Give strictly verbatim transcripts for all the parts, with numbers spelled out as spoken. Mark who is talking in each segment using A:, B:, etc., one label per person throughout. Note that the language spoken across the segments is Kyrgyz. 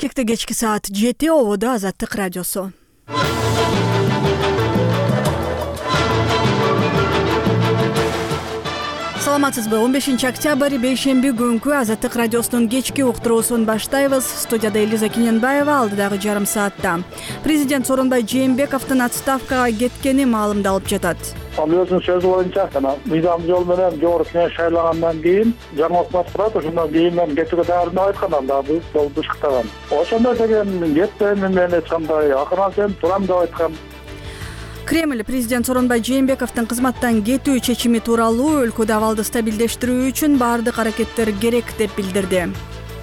A: Бишкекте кечки саат жети, ободо Азаттык радиосу. Саламатсызбы? он бешинчи октябрь бейшемби күнкү Азаттык радиосунун кечки уктуруусун баштайбыз. Студияда Элиза Кененбаева. Алдыдагы жарым саатта президент Сооронбай Жээнбековдун отставкага кеткени маалымдалып жатат.
B: Ал өзүнүн сөзү боюнча мыйзам жол менен жогорку кеңеш шайлангандан кийин жаңы өкмөт турат, ошондон кийин мен кетүүгө даярдык айткан, анда бул жол бышыктаган. Ошондой деген кетпейм, мен эч кандай акырын сен турам деп айткан.
A: Кремль президент Сооронбай Жээнбековдун кызматтан кетүү чечими тууралуу өлкөдө абалды стабилдештирүү үчүн баардык аракеттер керек деп билдирди.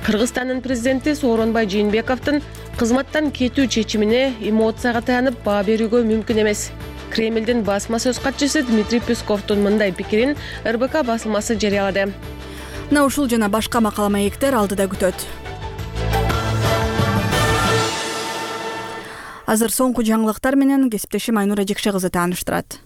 C: Кыргызстандын президенти Сооронбай Жээнбековдун кызматтан кетүү чечимине эмоцияга таянып баа берүүгө мүмкүн эмес. Кремлдин басма сөз катчысы Дмитрий Песковдун мындай пикирин эр бэ ка басылмасы жарыялады.
A: Мына ушул жана башка макала маектер алдыда күтөт. Азыр соңку жаңылыктар менен кесиптешим Айнура Жекше кызы тааныштырат.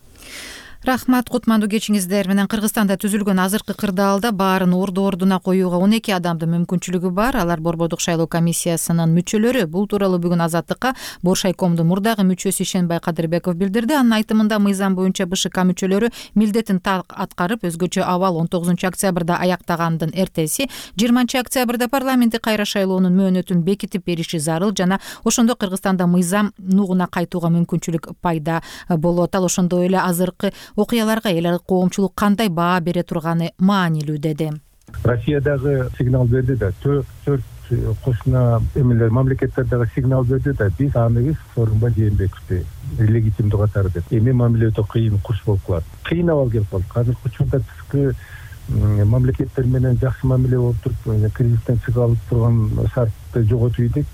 D: Рахмат, кутмандуу кечиңиздер менен. Кыргызстанда түзүлгөн азыркы кырдаалда баарын орду ордуна коюуга он эки адамдын мүмкүнчүлүгү бар. Алар Борбордук шайлоо комиссиясынын мүчөлөрү. Бул тууралуу бүгүн Азаттыкка Боршайкомдун мурдагы мүчөсү Ишенбай Кадырбеков билдирди. Анын айтымында мыйзам боюнча бэ шэ ка мүчөлөрү милдетин так аткарып, өзгөчө абал он тогузунчу октябрда аяктагандын эртеси жыйырманчы октябрда парламенттик кайра шайлоонун мөөнөтүн бекитип бериши зарыл жана ошондо Кыргызстанда мыйзам нугуна кайтууга мүмкүнчүлүк пайда болот. Ал ошондой эле азыркы окуяларга эл аркы коомчулук кандай баа бере турганы маанилүү деди.
E: Россия дагы сигнал берди да, төрт кошуна эмелер мамлекеттер дагы сигнал берди да, биз аныбыз Сооронбай Жээнбековду легитимдүү катары деп. Эми мамиле өтө кыйын, курч болуп калат. Кыйын абал келип калды. Азыркы учурда тышкы мамлекеттер менен жакшы мамиле болуп туруп, кризистен чыга алып турган шартты жоготуп ийдик.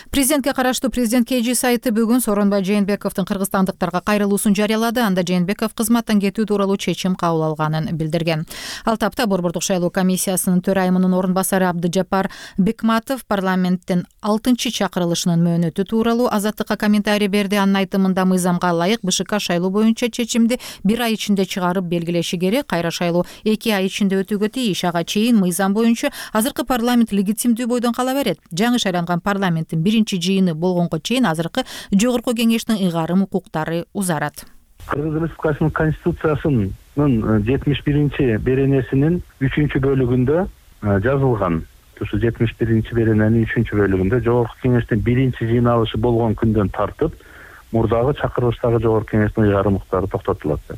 D: Президентке караштуу президент ка жэ сайты бүгүн Сооронбай Жээнбековдун кыргызстандыктарга кайрылуусун жарыялады. Анда Жээнбеков кызматтан кетүү тууралуу чечим кабыл алганын билдирген. Ал тапта Борбордук шайлоо комиссиясынын төрайымынын орун басары Абдыжапар Бекматов парламенттин алтынчы чакырылышынын мөөнөтү тууралуу Азаттыкка комментарий берди. Анын айтымында мыйзамга ылайык бэ шэ ка шайлоо боюнча чечимди бир ай ичинде чыгарып белгилеши керек. Кайра шайлоо эки ай ичинде өтүүгө тийиш. Ага чейин мыйзам боюнча азыркы парламент легитимдүү бойдон кала берет. Жаңы шайланган парламенттин биринчи жыйыны болгонго чейин азыркы жогорку кеңештин ыйгарым укуктары узарат.
E: Кыргыз Республикасынын конституциясынын жетимиш биринчи беренесинин үчүнчү бөлүгүндө жазылган. Ушу жетимиш биринчи берененин үчүнчү бөлүгүндө жогорку кеңештин биринчи жыйналышы болгон күндөн тартып мурдагы чакырылыштагы жогорку кеңештин ыйгарым укуктары токтотулат.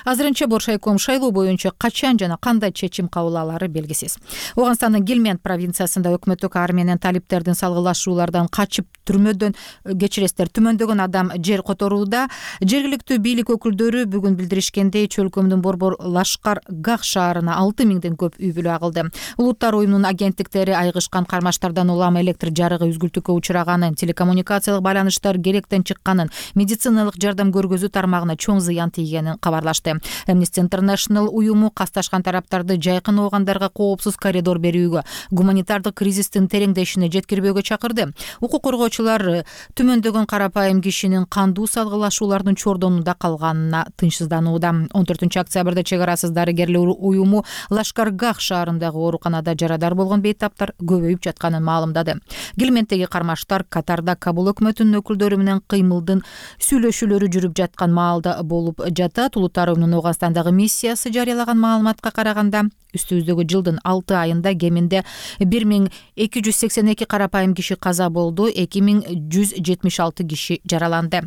D: Азырынча Боршайком шайлоо боюнча качан жана кандай чечим кабыл алары белгисиз. Ооганстандын Гилмент провинциясында өкмөттүк ар менен талиптердин салгылашуулардан качып түрмөдөн кечиресиздер түмөндөгөн адам жер которууда. Жергиликтүү бийлик өкүлдөрү бүгүн билдиришкендей чөлкөмдүн Борбор Лашкар Гах шаарына алты миңден көп үй бүлө агылды. Улуттар уюмунун агенттиктери айгышкан кармаштардан улам электр жарыгы үзгүлтүккө учураганын, телекоммуникациялык байланыштар керектен чыкканын, медициналык жардам көргөзүү тармагына чоң зыян тийгенин кабарлашты. Amnesty International уюму касташкан тараптарды жайкын оогандарга коопсуз коридор берүүгө, гуманитардык кризистин тереңдешине жеткирбөөгө чакырды. Укук коргоочулар түмөндөгөн карапайым кишинин кандуу салгылашуулардын чордонунда калганына тынчсызданууда. он төртүнчү октябрда чек арасыз дарыгерлер уюму Лашкар Гах шаарындагы ооруканада жарадар болгон бейтаптар көбөйүп жатканын маалымдады. Гилменттеги кармаштар Катарда Кабул өкмөтүнүн өкүлдөрү менен кыймылдын сүйлөшүүлөрү жүрүп жаткан маалда болуп жатат. Улуттар уюмунун Ооганстандагы миссиясы жарыялаган маалыматка караганда, үстүбүздөгү жылдын алты айында кеминде бир миң эки жүз сексен эки карапайым киши каза болду, эки миң жүз жетимиш алты киши жараланды.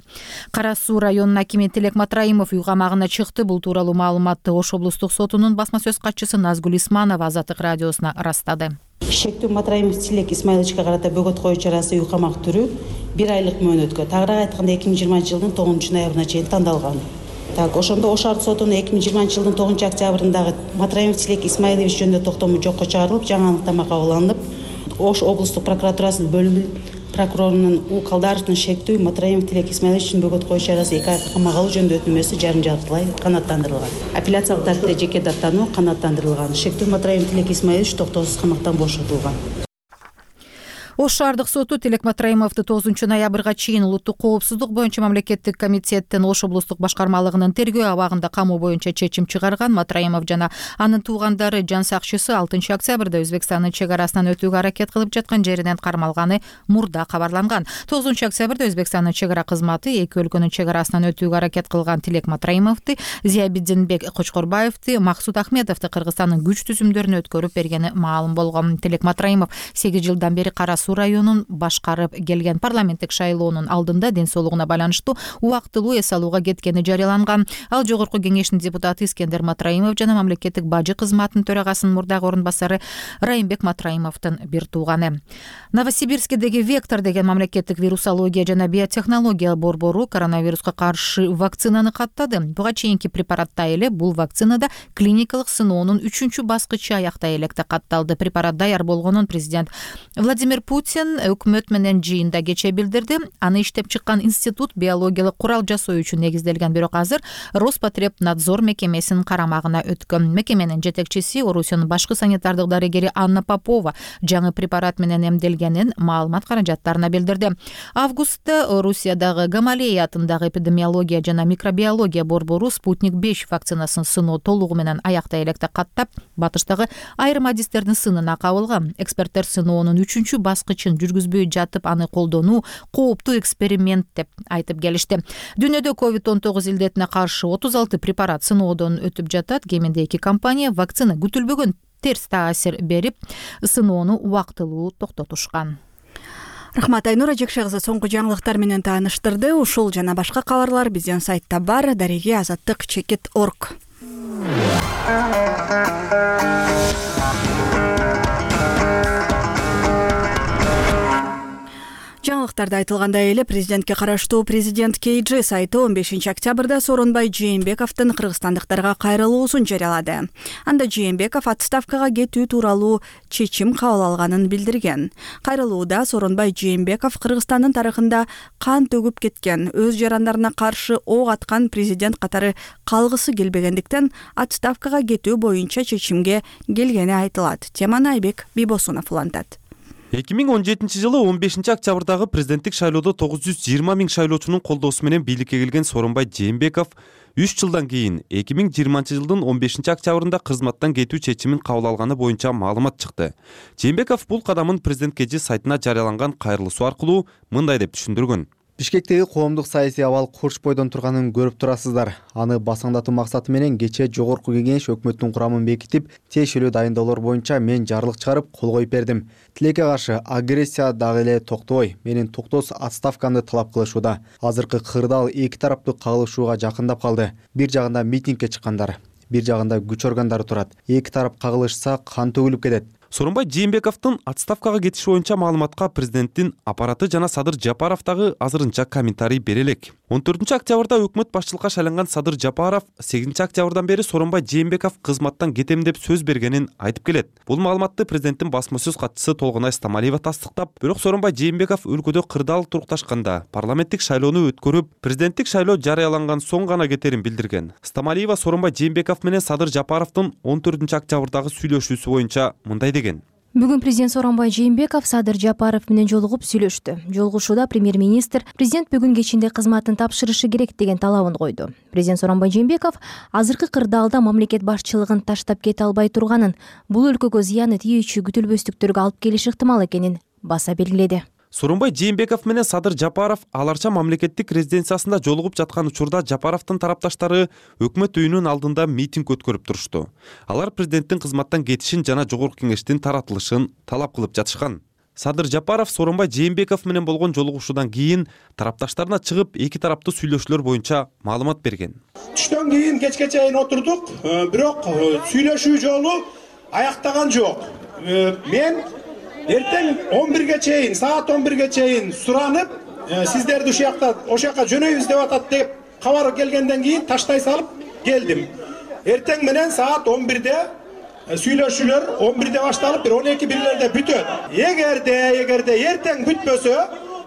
D: Кара Суу районунун акими Тилек Матраимов үй камагына чыкты. Бул тууралуу маалыматты Ош облустук сотунун басма сөз катчысы Назгүл Исманова Азаттык радиосуна ырастады.
F: Шектүү Матраимов Тилек Исмаиловичке карата бөгөт коюу чарасы үй камак түрү бир айлык мөөнөткө, тагыраак айтканда эки миң жыйырманчы жылдын тогузунчу ноябрына чейин тандалган. Так, ошондо Ош арт сотунун эки миң жыйырманчы жылдын тогузунчу октябрындагы Матраимов Тилек Исмаилович жөнүндө токтому жокко чыгарылып, жаңы аныктама кабыл алынып, Ош облустук прокуратурасынын бөлүм прокурорунун У Калдаровдун шектүү Матраимов Тилек Исмаилович үчүн бөгөт коюу чарасы эки айлык камак алуу жөнүндө өтүнмөсү жарым жартылай канааттандырылган. Апелляциялык тартипте жеке даттануу канааттандырылган. Шектүү Матраимов Тилек Исмаилович токтоосуз камактан бошотулган.
D: Ош шаардык соту Тилек Матраимовду тогузунчу ноябрга чейин улуттук коопсуздук боюнча мамлекеттик комитеттин Ош облустук башкармалыгынын тергөө абагында камоо боюнча чечим чыгарган. Матраимов жана анын туугандары жан сакчысы алтынчы октябрда Өзбекстандын чек арасынан өтүүгө аракет кылып жаткан жеринен кармалганы мурда кабарланган. тогузунчу октябрда Өзбекстандын чек ара кызматы эки өлкөнүн чек арасынан өтүүгө аракет кылган Тилек Матраимовду, Зиябиддинбек Кочкорбаевди, Максут Ахметовду Кыргызстандын күч түзүмдөрүнө өткөрүп бергени маалым болгон. Тилек Матраимов сегиз жылдан бери Кара Суу районун башкарып келген. Парламенттик шайлоонун алдында ден соолугуна байланыштуу убактылуу эс алууга кеткени жарыяланган. Ал жогорку кеңештин депутаты Искендер Матраимов жана мамлекеттик бажы кызматынын төрагасынын мурдагы орун басары Райымбек Матраимовдун бир тууганы. Новосибирскидеги Вектор деген мамлекеттик вирусология жана биотехнология борбору коронавируска каршы вакцинаны каттады. Буга чейинки препаратта эле бул вакцинада клиникалык сыноонун үчүнчү баскычы аяктай электе катталды. Препарат даяр болгонун президент Владимир Путин өкмөт менен жыйында кече билдирди. Аны иштеп чыккан институт биологиялык курал жасоо үчүн негизделген, бирок азыр Роспотребнадзор мекемесинин карамагына өткөн. Мекеменин жетекчиси, Орусиянын башкы санитардык дарыгери Анна Попова жаңы препарат менен эмделгенин маалымат каражаттарына билдирди. Августта Орусиядагы Гамалея атындагы эпидемиология жана микробиология борбору Спутник беш вакцинасын сыноо толугу менен аяктай электе каттап, батыштагы айрым адистердин сынына кабылган. Эксперттер сыноонун үчүнчү баскычын жүргүзбөй жатып аны колдонуу кооптуу эксперимент деп айтып келишти. Дүйнөдө ковид он тогуз илдетине каршы отуз алты препарат сыноодон өтүп жатат. Кеминде эки компания вакцина күтүлбөгөн терс таасир берип, сыноону убактылуу токтотушкан.
A: Рахмат, Айнура Жекше кызы соңку жаңылыктар менен тааныштырды. Ушул жана башка кабарлар биздин сайтта бар. Дареги азаттык чекит точка орг. Жаңылыктарда айтылгандай эле президентке караштуу Президент кей джи сайты он бешинчи октябрда Сооронбай Жээнбековдун кыргызстандыктарга кайрылуусун жарыялады. Анда Жээнбеков отставкага кетүү тууралуу чечим кабыл алганын билдирген. Кайрылууда Сооронбай Жээнбеков Кыргызстандын тарыхында кан төгүп кеткен, өз жарандарына каршы ок аткан президент катары калгысы келбегендиктен отставкага кетүү боюнча чечимге келгени айтылат. Теманы Айбек Бибосунов улантат.
G: эки миң он жетинчи жылы он бешинчи октябрдагы президенттик шайлоодо тогуз жүз жыйырма миң шайлоочунун колдоосу менен бийликке келген Сооронбай Жээнбеков үч жылдан кийин эки миң жыйырманчы жылдын он бешинчи октябрында кызматтан кетүү чечимин кабыл алганы боюнча маалымат чыкты. Жээнбеков бул кадамын президент кей джи сайтына жарыяланган кайрылуусу аркылуу мындай деп түшүндүргөн.
H: Бишкектеги коомдук саясий абал курч бойдон турганын көрүп турасыздар. Аны басаңдатуу максаты менен кечээ жогорку кеңеш өкмөттүн курамын бекитип, тиешелүү дайындоолор боюнча мен жарлык чыгарып кол коюп бердим. Тилекке каршы агрессия дагы эле токтобой, менин токтоосуз отставкамды талап кылышууда. Азыркы кырдаал эки тараптуу кагылышууга жакындап калды. Бир жагында митингге чыккандар, бир жагында күч органдары турат. Эки тарап кагылышса кан төгүлүп кетет.
G: Сооронбай Жээнбековдун отставкага кетиши боюнча маалыматка президенттин аппараты жана Садыр Жапаров дагы азырынча комментарий бере элек. он төртүнчү октябрда өкмөт башчылыкка шайланган Садыр Жапаров сегизинчи октябрдан бери Сооронбай Жээнбеков кызматтан кетем деп сөз бергенин айтып келет. Бул маалыматты президенттин басма сөз катчысы Толгонай Стамалиева тастыктап, бирок Сооронбай Жээнбеков өлкөдө кырдаал турукташканда парламенттик шайлоону өткөрүп, президенттик шайлоо жарыяланган соң гана кетерин билдирген. Стамалиева Сооронбай Жээнбеков менен Садыр Жапаровдун он төртүнчү октябрдагы сүйлөшүүсү боюнча мындай деген.
I: Бүгүн президент Сооронбай Жээнбеков Садыр Жапаров менен жолугуп сүйлөштү. Жолугушууда премьер-министр президент бүгүн кечинде кызматын тапшырышы керек деген талабын койду. Президент Сооронбай Жээнбеков азыркы кырдаалда мамлекет башчылыгын таштап кете албай турганын, бул өлкөгө зыяны тийүүчү күтүлбөстүктөргө алып келиши ыктымал экенин баса белгиледи.
G: Сооронбай Жээнбеков менен Садыр Жапаров аларча мамлекеттик резиденциясында жолугуп жаткан учурда Жапаровдун тарапташтары өкмөт үйүнүн алдында митинг өткөрүп турушту. Алар президенттин кызматтан кетишин жана жогорку кеңештин таратылышын талап кылып жатышкан. Садыр Жапаров Сооронбай Жээнбеков менен болгон жолугушуудан кийин тарапташтарына чыгып эки тараптуу сүйлөшүүлөр боюнча маалымат берген.
J: Түштөн кийин кечке чейин отурдук, бирок сүйлөшүү жолу аяктаган жок. Мен эртең он бирге чейин, саат он бирге чейин суранып, сиздерди ушул жакта, ошол жака жөнөйбүз деп атат деп кабар келгенден кийин таштай салып келдим. Эртең менен саат он бирде сүйлөшүүлөр он бирде башталып, бир он эки бирлерде бүтөт. Эгерде, эгерде эртең бүтпөсө,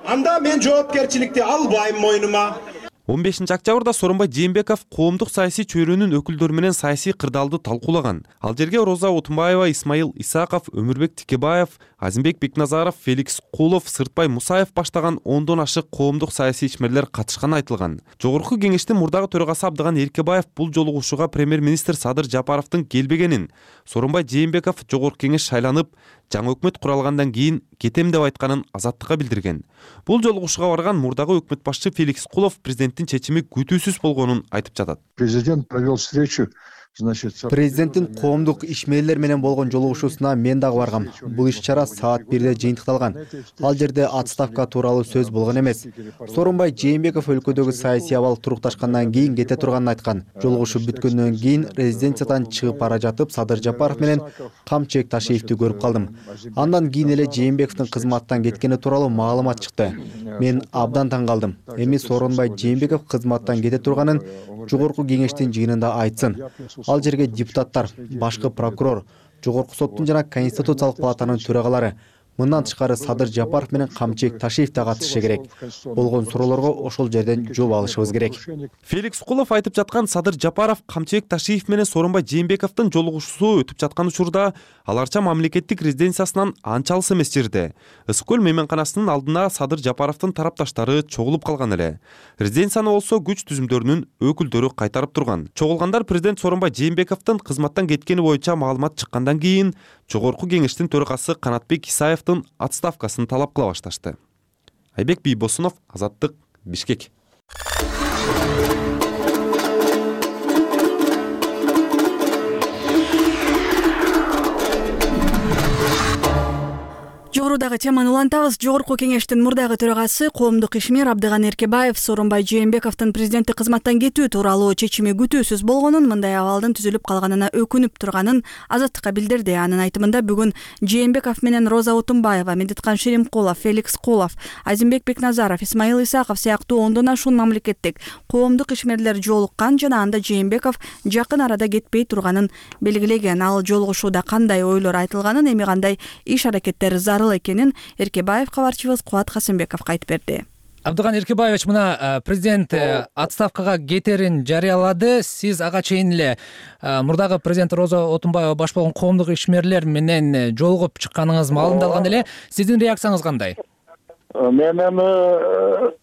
J: анда мен жоопкерчиликти албайм мойнума.
G: он бешинчи октябрда Сооронбай Жээнбеков коомдук саясий чөйрөнүн өкүлдөрү менен саясий кырдаалды талкуулаган. Ал жерге Роза Отунбаева, Исмаил Исаков, Өмүрбек Тикебаев, Азимбек Бекназаров, Феликс Кулов, Сыртбай Мусаев баштаган ондон ашык коомдук саясий ишмерлер катышканы айтылган. Жогорку кеңештин мурдагы төрагасы Абдыган Эркебаев бул жолугушууга премьер-министр Садыр Жапаровдун келбегенин, Сооронбай Жээнбеков жогорку кеңеш шайланып, жаңы өкмөт куралгандан кийин кетем деп айтканын Азаттыкка билдирген. Бул жолугушууга барган мурдагы өкмөт башчы Феликс Кулов президенттин чечими күтүүсүз болгонун айтып жатат.
K: Президент провел встречу.
H: Президенттин коомдук ишмерлер менен болгон жолугушуусуна мен дагы баргам. Бул иш-чара саат бирде жыйынтыкталган. Ал жерде отставка тууралуу сөз болгон эмес. Сооронбай Жээнбеков өлкөдөгү саясий абал турукташкандан кийин кете турганын айткан. Жолугушуу бүткөндөн кийин резиденциядан чыгып бара жатып Садыр Жапаров менен Камчыбек Ташиевди көрүп калдым. Андан кийин эле Жээнбековдун кызматтан кеткени тууралуу маалымат чыкты. Мен абдан таң калдым. Эми Сооронбай Жээнбеков кызматтан кете турганын жогорку кеңештин жыйынында айтсын. Ал жерге депутаттар, башкы прокурор, жогорку соттун жана Конституциялык палатанын төрагалары, мындан тышкары Садыр Жапаров менен Камчыбек Ташиев да катышы керек. Болгон суроолорго ошол жерден жооп алышыбыз керек.
G: Феликс Кулов айтып жаткан Садыр Жапаров, Камчыбек Ташиев менен Сооронбай Жээнбековдун жолугушуусу өтүп жаткан учурда аларча мамлекеттик резиденциясынан анча алыс эмес жерде. Ысык көл мейманканасынын алдына Садыр Жапаровдун тарапташтары чогулуп калган эле. Резиденцияны болсо күч түзүмдөрүнүн өкүлдөрү кайтарып турган. Чогулгандар президент Сооронбай Жээнбековдун кызматтан кеткени боюнча маалымат чыккандан кийин жогорку кеңештин төрагасы Канатбек Исаевдин отставкасын талап кыла башташты. Айбек Бийбосунов, Азаттык, Бишкек.
A: Жогорудагы теманы улантабыз. Жогорку кеңештин мурдагы төрагасы коомдук ишмер Абдыган Эркебаев Сооронбай Жээнбековдун президенттик кызматтан кетүү тууралуу чечими күтүүсүз болгонун, мындай абалдын түзүлүп калганына өкүнүп турганын Азаттыкка билдирди. Анын айтымында бүгүн Жээнбеков менен Роза Отунбаева, Медиткан Шеримкулов, Феликс Кулов, Азимбек Бекназаров, Исмаил Исаков сыяктуу ондон ашуун мамлекеттик коомдук ишмерлер жолуккан жана анда Жээнбеков жакын арада кетпей турганын белгилеген. Ал жолугушууда кандай ойлор айтылганын, эми кандай иш-аракеттер зарыл экенин Эркебаев кабарчыбыз Кубат Касымбековго айтып берди.
L: Абдыган Эркебаевич, мына президент отставкага кетерин жарыялады. Сиз ага чейин эле мурдагы президент Роза Отунбаева баш болгон коомдук ишмерлер менен жолугуп чыкканыңыз маалымдалган эле. Сиздин реакцияңыз кандай?
B: Мен эми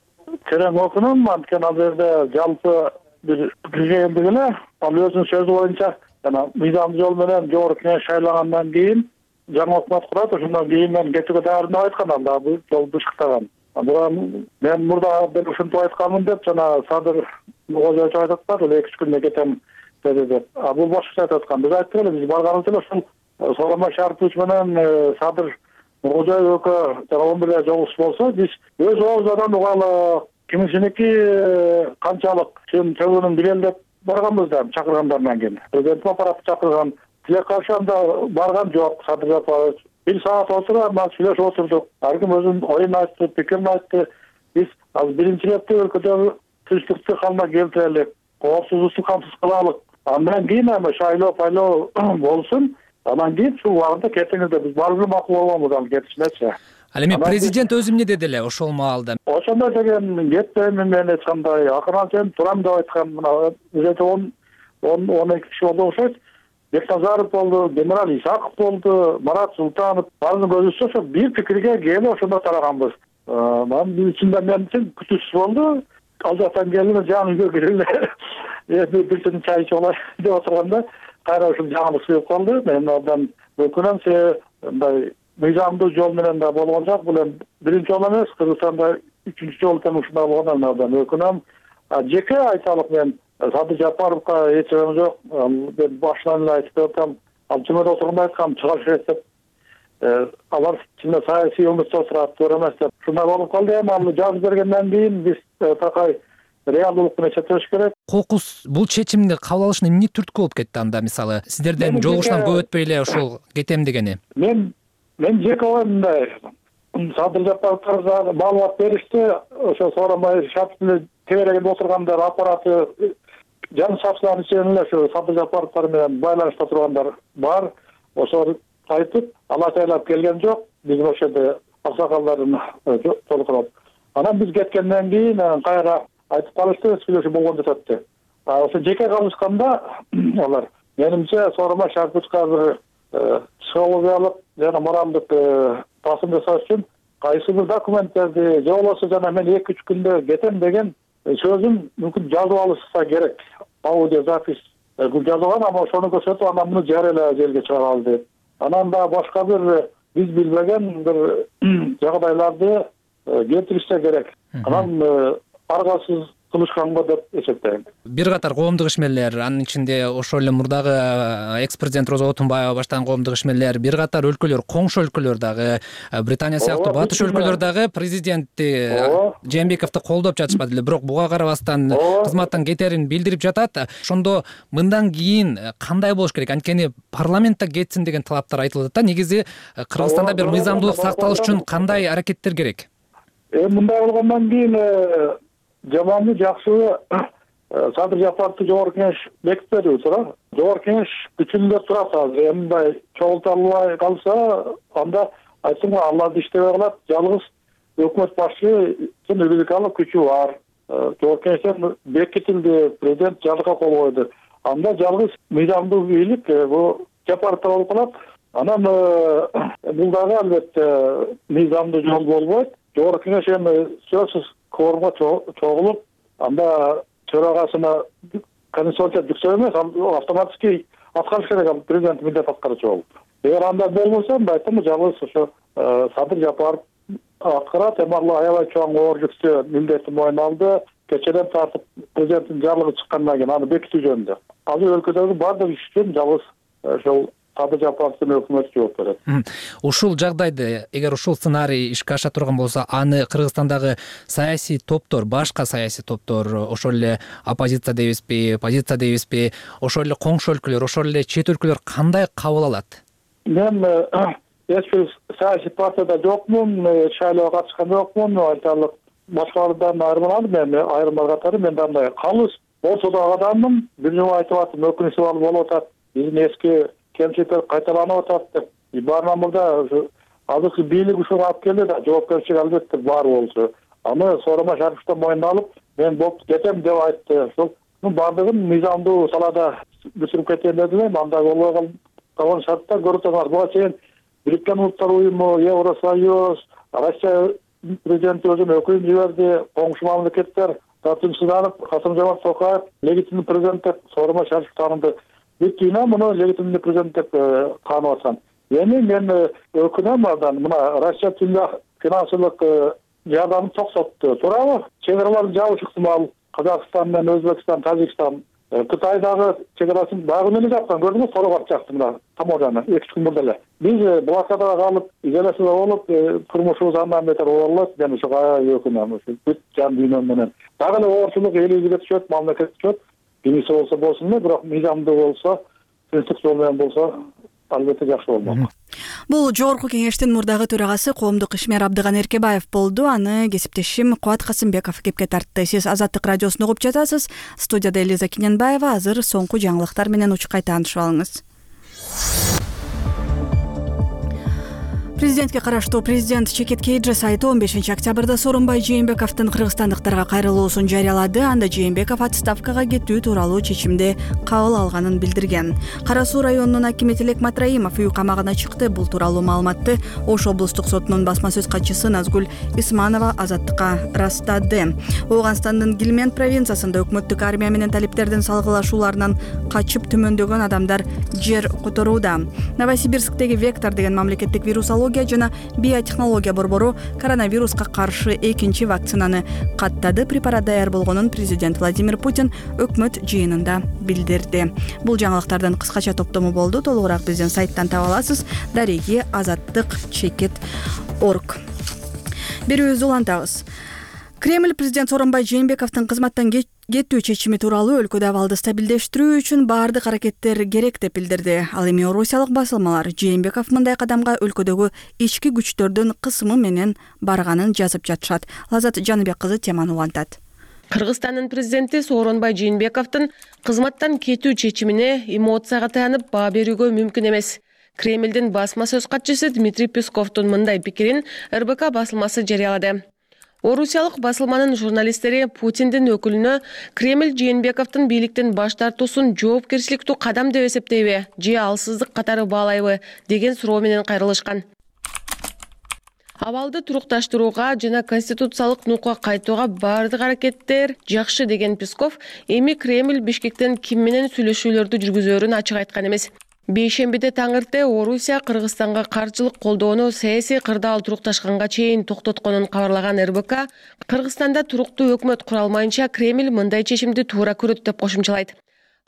B: терең окунум, анткени ал жерде жалпы бир пикирге келдик эле. Ал өзүнүн сөзү боюнча жана мыйзамдуу жол менен жогорку кеңеш шайлагандан кийин жаңы өкмөт курат, ошондон кийин мен кетүүгө даярдым деп айткан, анда бул жол бышыктаган. Анан мен мурда бир ушинтип айтканмын деп жана Садыр Кожоевич айтып атат, эки үч күндө кетем деди деп. А бул башкача айтып аткан. Биз айттык эле, биз барганыбыз эле ушул Сооронбай Шарипович менен Садыр Кожоев экөө жана он бирде жолугуш болсо, биз өз оозунан угалы кимисиники канчалык чын төбөнүн билели деп барганбыз да чакыргандардан кийин. Президент аппараты чакырган. Тилек каршы анда барган жок. Садыр Жапарович бир саат отуруп, мас сүйлөшүп отурдук. Ар ким өзүнүн оюн айтты, пикирин айтты. Биз азыр биринчи ирет өлкөдөгү тынчтыкты калма келтирелик, коопсуздукту камсыз кылалык. Андан кийин эми шайлоо пайлоо болсун. Андан кийин ушул убагында кетиңиз деп биз баары макул болгонбуз ал кетишинечи.
L: Ал эми президент өзү эмне деди эле ошол маалда?
B: Ошондой деген кетпеймин мен эч кандай акырын сен турам деп айткан. Мына өзү он он эки киши болду окшойт. Бекназаров болду, генерал Исаков болду, Марат Султанов. Баарынын көзүсү ошо бир пикирге келип ошондо тараганбыз. Анын ичинде мен үчүн күтүүсүз болду. Ал жактан келип жаңы үйгө кириле. Эми бир түн чай ичип алайын деп отурганда кайра ушул жаңылык чыгып калды. Мен абдан өкүнөм, себеби мындай мыйзамдуу жол менен да болгон жок. Бул эми биринчи жол эмес, Кыргызстанда үчүнчү жол тең ушундай болгондон абдан өкүнөм. Жеке айталык, мен Садыр Жапаровго эч жерим жок. Мен башынан эле айтып атам, ал жумада отурганда айткам, чыгаш керек деп. Алар чынында саясий өмүрдө отурат, туура эмес деп. Ушундай болуп калды. Эми аны жазып бергенден кийин биз такай реалдуулук менен чечиш керек.
L: Кокус бул чечимди кабыл алышына эмне түрткү болуп кетти анда, мисалы, сиздерден жолугушуудан көп өтпөй эле ошол кетем дегени?
B: Мен мен жеке оюмдай Садыр Жапаровго маалымат беришти. Ошо Сооронбай Шариповдун теберегинде отургандар аппараты жан сакчылардын ичинен эле ошо Садыр Жапаровтар менен байланышта тургандар бар. Ошо айтып, алла тайлап келген жок. Биз ошо жерде аксакалдардын толкуноп. Анан биз кеткенден кийин кайра айтып калышты, сүйлөшүү болгон жатат. Ошо жеке калышканда алар менимче Сооронбай Шариповичке азыр психологиялык жана моралдык басым жасаш үчүн кайсы бир документтерди же болбосо жана мен эки үч күндө кетем деген сөзүн мүмкүн жазып алышса керек. Аудио запись жазып алган, ама ошону көрсөтүп анан муну жарыялап жерге чыгаралы деп. Анан да башка бир биз билбеген бир жагдайларды келтиришсе керек. Анан аргасыз кылышканго деп эсептейм.
L: Бир катар коомдук ишмерлер, анын ичинде ошол эле мурдагы экс-президент Роза Отунбаева баштаган коомдук ишмерлер, бир катар өлкөлөр, коңшу өлкөлөр дагы, Британия сыяктуу батыш өлкөлөр дагы президентти Жээнбековду колдоп жатышпады эле, бирок буга карабастан кызматтан кетерин билдирип жатат. Ошондо мындан кийин кандай болуш керек? Анткени парламентте кетсин деген талаптар айтылып атат да. Негизи Кыргызстанда бир мыйзамдуулук сакталыш үчүн кандай аракеттер керек?
B: Э мындай болгондон кийин жаманбы жакшыбы Садыр Жапаровду жогорку кеңеш бекитпеди туура. Жогорку кеңеш күчүндө турат азыр. Мындай чогулталбай калса, анда айтсам аларды иштебей калат. Жалгыз өкмөт башчысынын юридикалык күчү бар. Жогорку кеңештен бекитилди, президент жарлыкка кол койду. Анда жалгыз мыйзамдуу бийлик бул Жапаровдо болуп калат. Анан бул дагы албетте мыйзамдуу жол болбойт. Жогорку кеңеш эми сөзсүз кворумга чогулуп, анда төрагасына конституция жүктөө эмес, автоматически аткарыш керек президент милдет аткаруучу болуп. Эгер андай болбосо, айтам, жалгыз ошо Садыр Жапаров аткарат, эми ал аябай чоң оор жүктө милдетти мойнуна алды. Кечеден тартып президенттин жарлыгы чыккандан кийин аны бекитүү жөнүндө. Азыр өлкөдөгү бардык иш үчүн жалгыз ошол Садыр Жапаровдун өкмөтү жооп берет.
L: Ушул жагдайда, эгер ушул сценарий ишке аша турган болсо, аны Кыргызстандагы саясий топтор, башка саясий топтор, ошол эле оппозиция дейбизби, позиция дейбизби, ошол эле коңшу өлкөлөр, ошол эле чет өлкөлөр кандай кабыл алат?
B: Мен эч бир саясий партияда жокмун, шайлоого катышкан жокмун, айтарлык башкалардан айырмаланып, мен айырмалар катары мен андай калыс ортодогу адаммын. Бир жолу айтып аттым, өкүнүчтүү болуп атат. Биздин эски кемчиликтер кайталанып атат деп. Баарынан мурда азыркы бийлик ушуга алып келди да, жоопкерчилик албетте бар болчу. Аны Сооронбай Шариповдон мойнуна алып, мен болуп кетем деп айтты. Ошол бардыгын мыйзамдуу салада бүтүрүп кетем дедим. Анда болбой калган шарттар көрүп турганбыз. Буга чейин Бириккен Улуттар уюму, Евросоюз, Россия президенти өзүнүн өкүлүн жиберди, коңшу мамлекеттер тартынчсызданып, Касым-Жомарт Токаев легитимдүү президент деп Сооронбай Шариповду тааныды. Бүткүнө муну легитимдүү президент деп таанып аткан. Эми мен өкүнөм андан, мына Россия финансылык жардамын токсотту. Туурабы? Чек-араларды жабыш ыктымал. Казакстан менен Өзбекстан, Тажикстан, Кытайдагы чек-арасын дагы эле жапкан, көрдүңүз, Торогат жакты мына Таможаны эки күн мурда эле. Биз блокадага калып, изоляцияда болуп, турмушубуз андан бетер оорлойт, мен ушуга өкүнөм. Бүт жан дүйнөм менен. Дагы эле оорчулук элибизге түшөт, мамлекетке түшөт. Бирisi болсо болсун эле, бирок мыйзамдуу болсо, принцип жол менен болсо, албетте жакшы болмок.
A: Бул жогорку кеңештин мурдагы төрагасы коомдук ишмер Абдыган Эркебаев болду. Аны кесиптешим Кубат Касымбеков кепке тартты. Сиз Азаттык радиосун угуп жатасыз. Студияда Элиза Киненбаева. Азыр соңку жаңылыктар менен учкай таанышып алыңыз. Президентке караштуу президент Чекет Кейджи сайты он бешинчи октябрда Сооронбай Жээнбековдун кыргызстандыктарга кайрылуусун жарыялады. Анда Жээнбеков отставкага кетүү тууралуу чечимди кабыл алганын билдирген. Кара Суу районунун акими Тилек Матраимов үй камагына чыкты. Бул тууралуу маалыматты Ош облустук сотунун басма сөз катчысы Назгүл Исманова Азаттыкка ырастады. Ооганстандын Гилмент провинциясында өкмөттүк армия менен талиптердин салгылашууларынан качып түмөндөгөн адамдар жер которууда. Новосибирсктеги Вектор деген мамлекеттик вирусология жана биотехнология борбору коронавируска каршы экинчи вакцинаны каттады. Препарат даяр болгонун президент Владимир Путин өкмөт жыйынында билдирди. Бул жаңылыктардын кыскача топтому болду. Толугураак биздин сайттан таба аласыз. Дареги азаттык чекит орг. Берүүбүздү улантабыз. Кремль президент Сооронбай Жээнбековдун кызматтан кетүү чечими тууралуу өлкөдө абалды стабилдештирүү үчүн баардык аракеттер керек деп билдирди. Ал эми орусиялык басылмалар Жээнбеков мындай кадамга өлкөдөгү ички күчтөрдүн кысымы менен барганын жазып жатышат. Лазат Жаныбек кызы теманы улантат.
C: Кыргызстандын президенти Сооронбай Жээнбековдун кызматтан кетүү чечимине эмоцияга таянып баа берүүгө мүмкүн эмес. Кремлдин басма сөз катчысы Дмитрий Песковдун мындай пикирин эр бэ ка басылмасы жарыялады. Орусиялык басылманын журналисттери Путиндин өкүлүнө Кремль Жээнбековдун бийликтен баш тартуусун жоопкерчиликтүү кадам деп эсептейби же алсыздык катары баалайбы деген суроо менен кайрылышкан. Абалды турукташтырууга жана конституциялык нукка кайтууга баардык аракеттер жакшы деген Песков эми Кремль Бишкектен ким менен сүйлөшүүлөрдү жүргүзөөрүн ачык айткан эмес. Бейшембиде таң эрте Орусия Кыргызстанга каржылык колдоону саясий кырдаал турукташканга чейин токтотконун кабарлаган эр бэ ка Кыргызстанда туруктуу өкмөт кура алмайынча Кремль мындай чечимди туура көрөт деп кошумчалайт.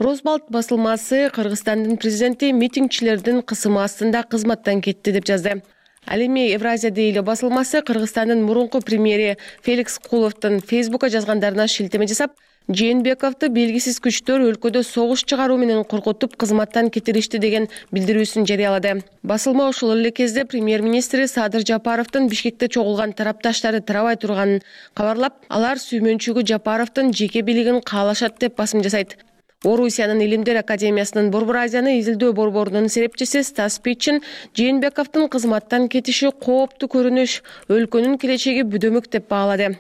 C: Росбалт басылмасы Кыргызстандын президенти митингчилердин кысымы астында кызматтан кетти деп жазды. Ал эми Евразия дейли басылмасы Кыргызстандын мурунку премьери Феликс Куловдун Фейсбукка жазгандарына шилтеме жасап, Жээнбековду белгисиз күчтөр өлкөдө согуш чыгаруу менен коркутуп кызматтан кетиришти деген билдирүүсүн жарыялады. Басылма ошол эле кезде премьер-министри Садыр Жапаровдун Бишкекте чогулган тарапташтары тарабай турганын кабарлап, алар сүймөнчүгү Жапаровдун жеке бийлигин каалашат деп басым жасайт. Орусиянын Илимдер академиясынын Борбор Азияны изилдөө борборунун серепчиси Стас Питчин Жээнбековдун кызматтан кетиши кооптуу көрүнүш, өлкөнүн келечеги бүдөмүк деп баалады.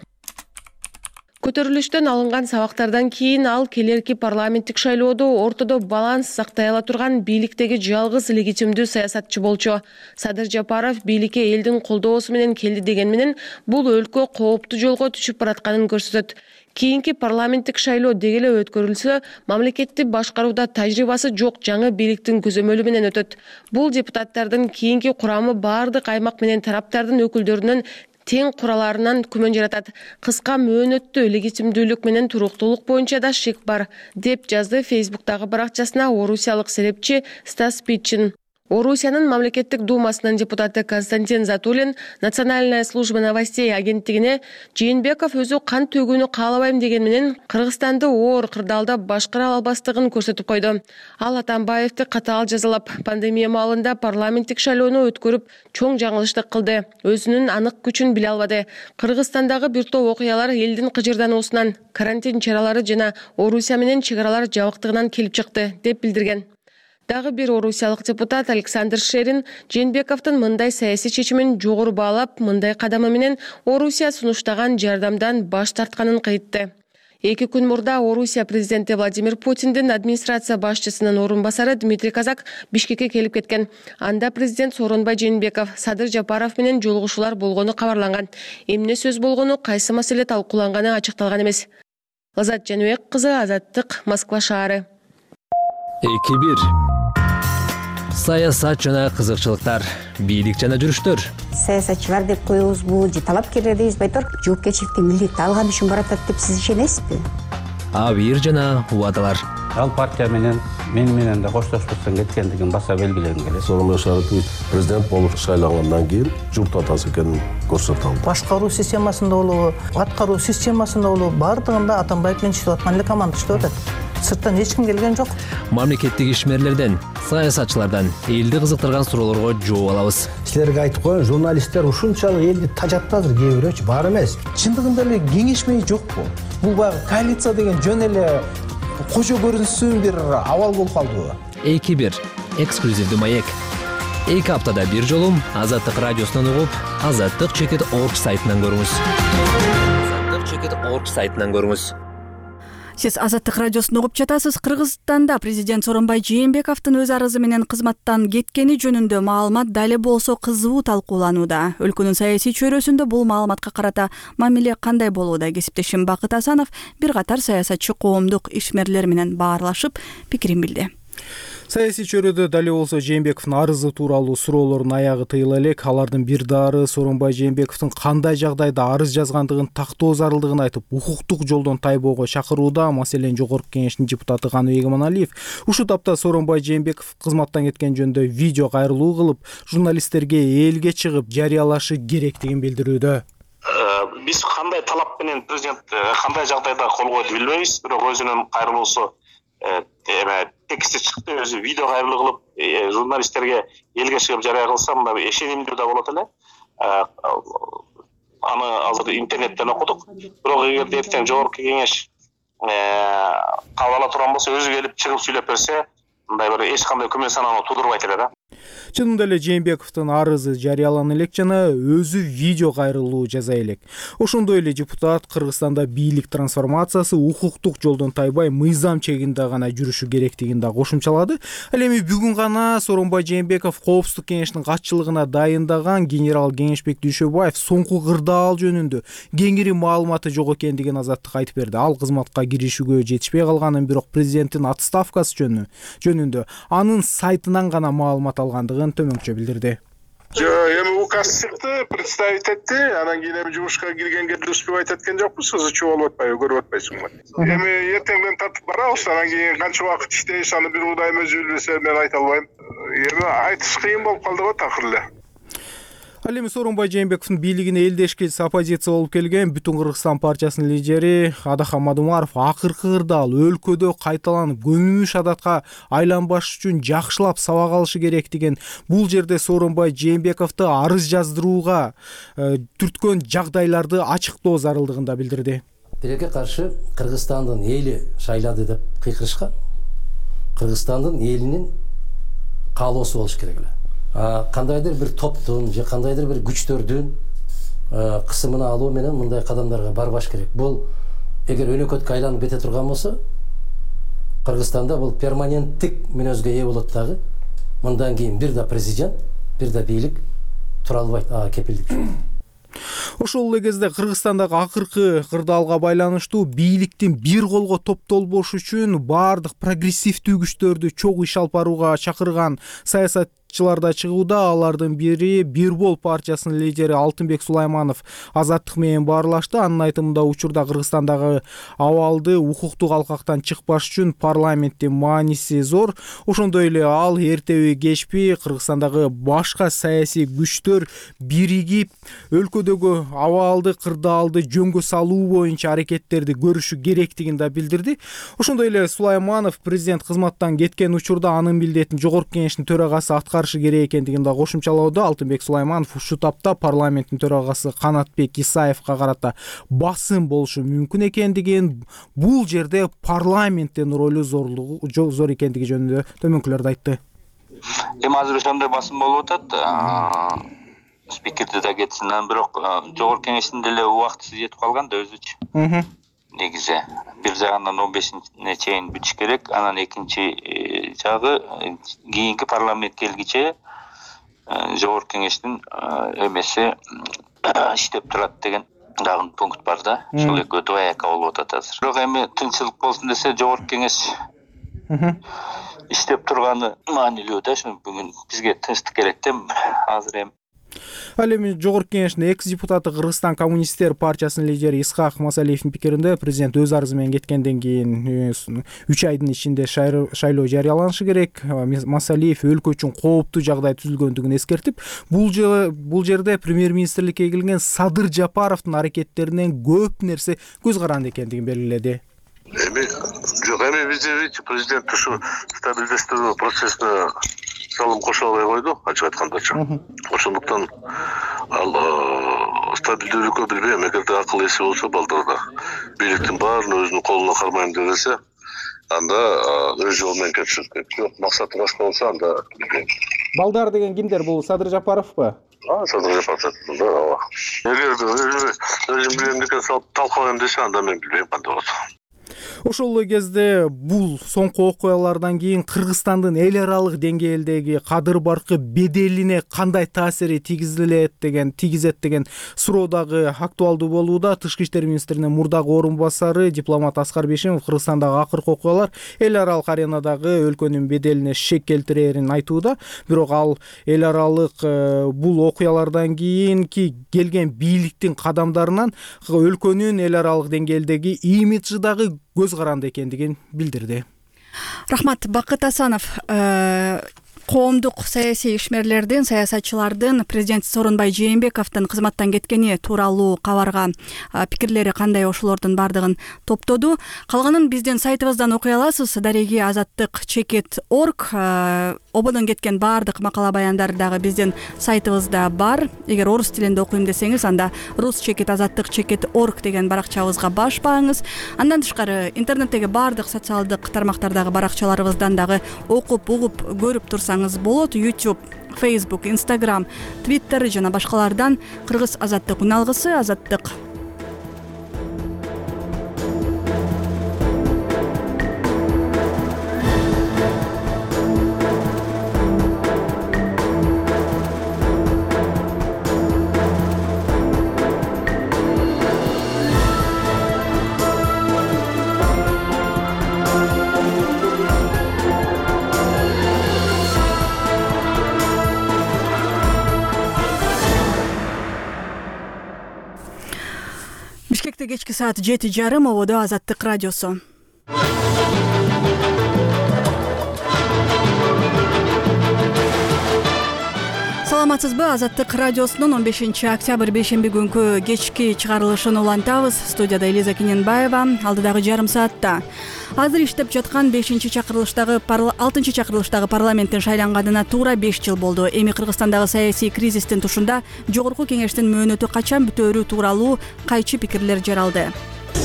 C: Көтөрүлүштөн алынган сабактардан кийин ал келерки парламенттик шайлоодо ортодо баланс сактай ала турган бийликтеги жалгыз легитимдүү саясатчы болчу. Садыр Жапаров бийликке элдин колдоосу менен келди деген менен бул өлкө кооптуу жолго түшүп баратканын көрсөтөт. Кийинки парламенттик шайлоо деги эле өткөрүлсө, мамлекетти башкарууда тажрыйбасы жок жаңы бийликтин көзөмөлү менен өтөт. Бул депутаттардын кийинки курамы баардык аймак менен тараптардын өкүлдөрүнүн тең кураларынан күмөн жаратат. Кыска мөөнөттүү легитимдүүлүк менен туруктуулук боюнча да шек бар, деп жазды Фейсбуктагы баракчасына орусиялык серепчи Стас Питчин. Орусиянын мамлекеттик думасынын депутаты Константин Затулин Национальная служба новостей агенттигине Жээнбеков өзү кан төгүүнү каалабайм деген менен Кыргызстанды оор кырдаалда башкара албастыгын көрсөтүп койду. Ал Атамбаевди катаал жазалап, пандемия маалында парламенттик шайлоону өткөрүп, чоң жаңылыштык кылды. Өзүнүн анык күчүн биле албады. Кыргызстандагы бир топ окуялар элдин кыжырдануусунан, карантин чаралары жана Орусия менен чек аралар жабыктыгынан келип чыкты, деп билдирген. Дагы бир орусиялык депутат Александр Шерин Жээнбековдун мындай саясий чечимин жогору баалап, мындай кадамы менен Орусия сунуштаган жардамдан баш тартканын кайтты. Эки күн мурда Орусия президенти Владимир Путиндин администрация башчысынын орун басары Дмитрий Казак Бишкекке келип кеткен. Анда президент Сооронбай Жээнбеков, Садыр Жапаров менен жолугушуулар болгону кабарланган. Эмне сөз болгону, кайсы маселе талкууланганы ачыкталган эмес. Лазат Жаныбек кызы, Азаттык, Москва шаары.
L: эки бир Саясат жана кызыкчылыктар, бийлик жана жүрүштөр.
M: Саясатчылар деп коебузбу, же талапкерлер дейбизби, айтор жоопкерчиликти милдетти алган үчүн баратат деп сиз ишенесизби?
L: Абийир жана убадалар.
N: Ал партия менен мен менен да коштошпостон кеткендигин баса белгилегим келет.
O: Сооронбай Шарипович президент болуп шайлангандан кийин журт атасы экенин көрсөтө алды.
P: Башкаруу системасында болобу, аткаруу системасында болобу, бардыгында Атамбаев менен иштеп аткан эле команда иштеп атат. Сырттан эч ким келген жок.
L: Мамлекеттик ишмерлерден, саясатчылардан элди кызыктырган суроолорго жооп алабыз.
Q: Силерге айтып коеюн, журналисттер ушунчалык элди тажатты азыр кээ бирөөчү, бар эмес. Чындыгында эле кеңешмей жокпу? Бул баягы коалиция деген жөн эле кожо көрүнсүн бир абал болуп калдыбы?
L: эки бир эксклюзивдүү маек. Эки аптада бир жолу Азаттык радиосунан угуп, азаттык чекит точка орг сайтынан көрүңүз. азаттык чекит точка орг сайтынан көрүңүз.
A: Сиз Азаттык радиосун угуп жатасыз. Кыргызстанда президент Сооронбай Жээнбековдун өз арызы менен кызматтан кеткени жөнүндө маалымат дали болсо кызуу талкууланууда. Өлкөнүн саясий чөйрөсүндө бул маалыматка карата мамиле кандай болууда? Кесиптешим Бакыт Асанов бир катар саясатчы коомдук ишмерлер менен баарлашып пикирин билди.
R: Саясий чөйрөдө дали болсо Жээнбековдун арызы тууралуу суроолордун аягы тыйыла элек. Алардын бир дары Сооронбай Жээнбековдун кандай жагдайда арыз жазгандыгын тактоо зарылдыгын айтып, укуктук жолдон тайбоого чакырууда. Маселен, Жогорку Кеңештин депутаты Каныбек Эмоналиев ушул тапта Сооронбай Жээнбеков кызматтан кеткен жөнүндө видео кайрылуу кылып, журналисттерге элге чыгып жарыялашы керектигин билдирүүдө.
S: Биз кандай талап менен президент кандай жагдайда кол койду билбейбиз, бирок өзүнүн кайрылуусу эме тексти чыкты, өзү видео кайрылуу кылып журналисттерге элге чыгып жарыя кылса мында ишенимдүү да болот эле. Аны азыр интернеттен окудук. Бирок эгерде эртең Жогорку Кеңеш кабыл ала турган болсо, өзү келип чыгып сүйлөп берсе, мындай бир эч кандай күмөн санааны туудурбайт эле да.
R: чынында эле Жээнбековдун арызы жарыялана элек жана өзү видео кайрылуу жасай элек. Ошондой эле депутат Кыргызстанда бийлик трансформациясы укуктук жолдон тайбай мыйзам чегинде гана жүрүшү керектигин да кошумчалады. Ал эми бүгүн гана Сооронбай Жээнбеков Коопсуздук кеңешинин катчылыгына дайындаган генерал Кеңешбек Дүйшөбаев соңку кырдаал жөнүндө кеңири маалыматы жок экендигин Азаттыкка айтып берди. Ал кызматка киришүүгө жетишпей калганын, бирок президенттин отставкасы жөнүндө анын сайтынан гана маалымат алгандыгын төмөнкүчө билдирди.
T: Эми указ чыкты, представить этти, анан кийин эми жумушка киргенге деле успевать эткен жокпуз, ызычуу болуп атпайбы, көрүп атпайсыңбы? Эми эртеңден тартып барабыз, анан кийин канча убакыт иштейбиз, аны бир удайым өзү билбесе мен айта албайм. Эми айтыш кыйын болуп калды го такыр эле.
R: Ал эми Сооронбай Жээнбековдун бийлигине элдешкис оппозиция болуп келген Бүтүн Кыргызстан партиясынын лидери Адахан Мадумаров акыркы кырдаал өлкөдө кайталанып көнүмүш адатка айланбаш үчүн жакшылап сабак алышы керек деген, бул жерде Сооронбай Жээнбековду арыз жаздырууга түрткөн жагдайларды ачыктоо зарылдыгын да билдирди.
U: Тилекке каршы Кыргызстандын эли шайлады деп кыйкырышкан. Кыргызстандын элинин каалоосу болуш керек эле. Кандайдыр бир топтун же кандайдыр бир күчтөрдүн кысымына алуу менен мындай кадамдарга барбаш керек. Бул эгер өнөкөткө айланып кете турган болсо, Кыргызстанда бул перманенттик мүнөзгө ээ болот дагы. Мындан кийин бир да президент, бир да бийлик тура албайт, ага кепилдик.
R: Ошол эле кезде Кыргызстандагы акыркы кырдаалга байланыштуу бийликтин бир колго топтолбош үчүн баардык прогрессивдүү күчтөрдү чогуу иш алып барууга чакырган саясат да чыгууда. Алардын бири Бирбол партиясынын лидери Алтынбек Сулайманов Азаттык менен баарлашты. Анын айтымында учурда Кыргызстандагы абалды укуктук алкактан чыкпаш үчүн парламенттин мааниси зор. Ошондой эле ал эртеби кечпи Кыргызстандагы башка саясий күчтөр биригип өлкөдөгү абалды кырдаалды жөнгө салуу боюнча аракеттерди көрүшү керектигин да билдирди. Ошондой эле Сулайманов президент кызматтан кеткен учурда анын милдетин жогорку кеңештин төрагасы аткарышы керек экендигин да кошумчалоодо. Алтынбек Сулайманов ушул тапта парламенттин төрагасы Канатбек Исаевка карата басым болушу мүмкүн экендигин, бул жерде парламенттин ролу зорлугу зор экендиги жөнүндө төмөнкүлөрдү айтты.
V: Эми азыр ошондой басым болуп атат. Спикерди да кетсин, бирок жогорку кеңештин деле убактысы жетип калган да өзүчү. Негизи бир жагынан он бешине чейин бүтүш керек, анан экинчи жагы кийинки парламент келгиче жогорку кеңештин эмеси иштеп турат деген дагы пункт бар да. Ошол экөө двояко болуп атат азыр. Бирок эми тынччылык болсун десе жогорку кеңеш иштеп турганы маанилүү да. Ошо бүгүн бизге тынчтык керек да азыр эми.
R: Ал эми жогорку кеңештин экс-депутаты Кыргызстан коммунисттер партиясынын лидери Исхак Масалиевдин пикиринде президент өз арызы менен кеткенден кийин үч айдын ичинде шайлоо жарыяланышы керек. Масалиев өлкө үчүн кооптуу жагдай түзүлгөндүгүн эскертип, бул жерде премьер-министрликке келген Садыр Жапаровдун аракеттеринен көп нерсе көз каранды экендигин белгиледи.
T: Эми жок, эми бизде президент ушу стабилдештирүү процессине салым кошо албай койду, ачык айткандачы. Ошондуктан ал стабилдүүлүккө билбейм, эгерде акыл эси болсо балдарда бийликтин баарын өзүнүн колуна кармайм десе, анда өз жолу менен кетиши керек. Жок, максаты башка болсо анда билбейм.
R: Балдар деген кимдер? Бул Садыр Жапаровпу?
T: А, Садыр Жапаров да, ооба. Эгерде өзүм билем деген салып талкалайм десе, анда мен билбейм кандай болот.
R: Ошол эле кезде бул соңку окуялардан кийин Кыргызстандын эл аралык деңгээлдеги кадыр баркы беделине кандай таасири тийгизилет деген тийгизет деген суроо дагы актуалдуу болууда. Тышкы иштер министринин мурдагы орун басары дипломат Аскар Бейшимов Кыргызстандагы акыркы окуялар эл аралык аренадагы өлкөнүн беделине шек келтирерин айтууда. Бирок ал эл аралык бул окуялардан кийинки келген бийликтин кадамдарынан өлкөнүн эл аралык деңгээлдеги имиджи дагы көз каранды экендигин билдирди.
A: Рахмат. Бакыт Асанов, коомдук саясий ишмерлердин, саясатчылардын президент Сооронбай Жээнбековдун кызматтан кеткени тууралуу кабарга пикирлери кандай, ошолордун бардыгын топтоду. Калганын биздин сайтыбыздан окуй аласыз. Дареги азаттык чекит точка орг ободон кеткен баардык макала баяндар дагы биздин сайтыбызда бар. Эгер орус тилинде окуйм десеңиз, анда рус чекит азаттык чекит орг деген баракчабызга баш бааңыз. Андан тышкары интернеттеги баардык социалдык тармактардагы баракчаларыбыздан дагы окуп, угуп, көрүп турсаңыз болот. YouTube, Facebook, Instagram, Twitter жана башкалардан кыргыз азаттык уналгысы азаттык. Бишкекте кечки саат жети жарым, ободо Азаттык радиосу. Саламатсызбы? Азаттык радиосунун он бешинчи октябрь бейшемби күнкү кечки чыгарылышын улантабыз. Студияда Элиза Киненбаева. Алдыдагы жарым саатта азыр иштеп жаткан бешинчи чакырылыштагы алтынчы чакырылыштагы парламенттин шайланганына туура беш жыл болду. Эми Кыргызстандагы саясий кризистин тушунда Жогорку кеңештин мөөнөтү качан бүтөөрү тууралуу кайчы пикирлер жаралды.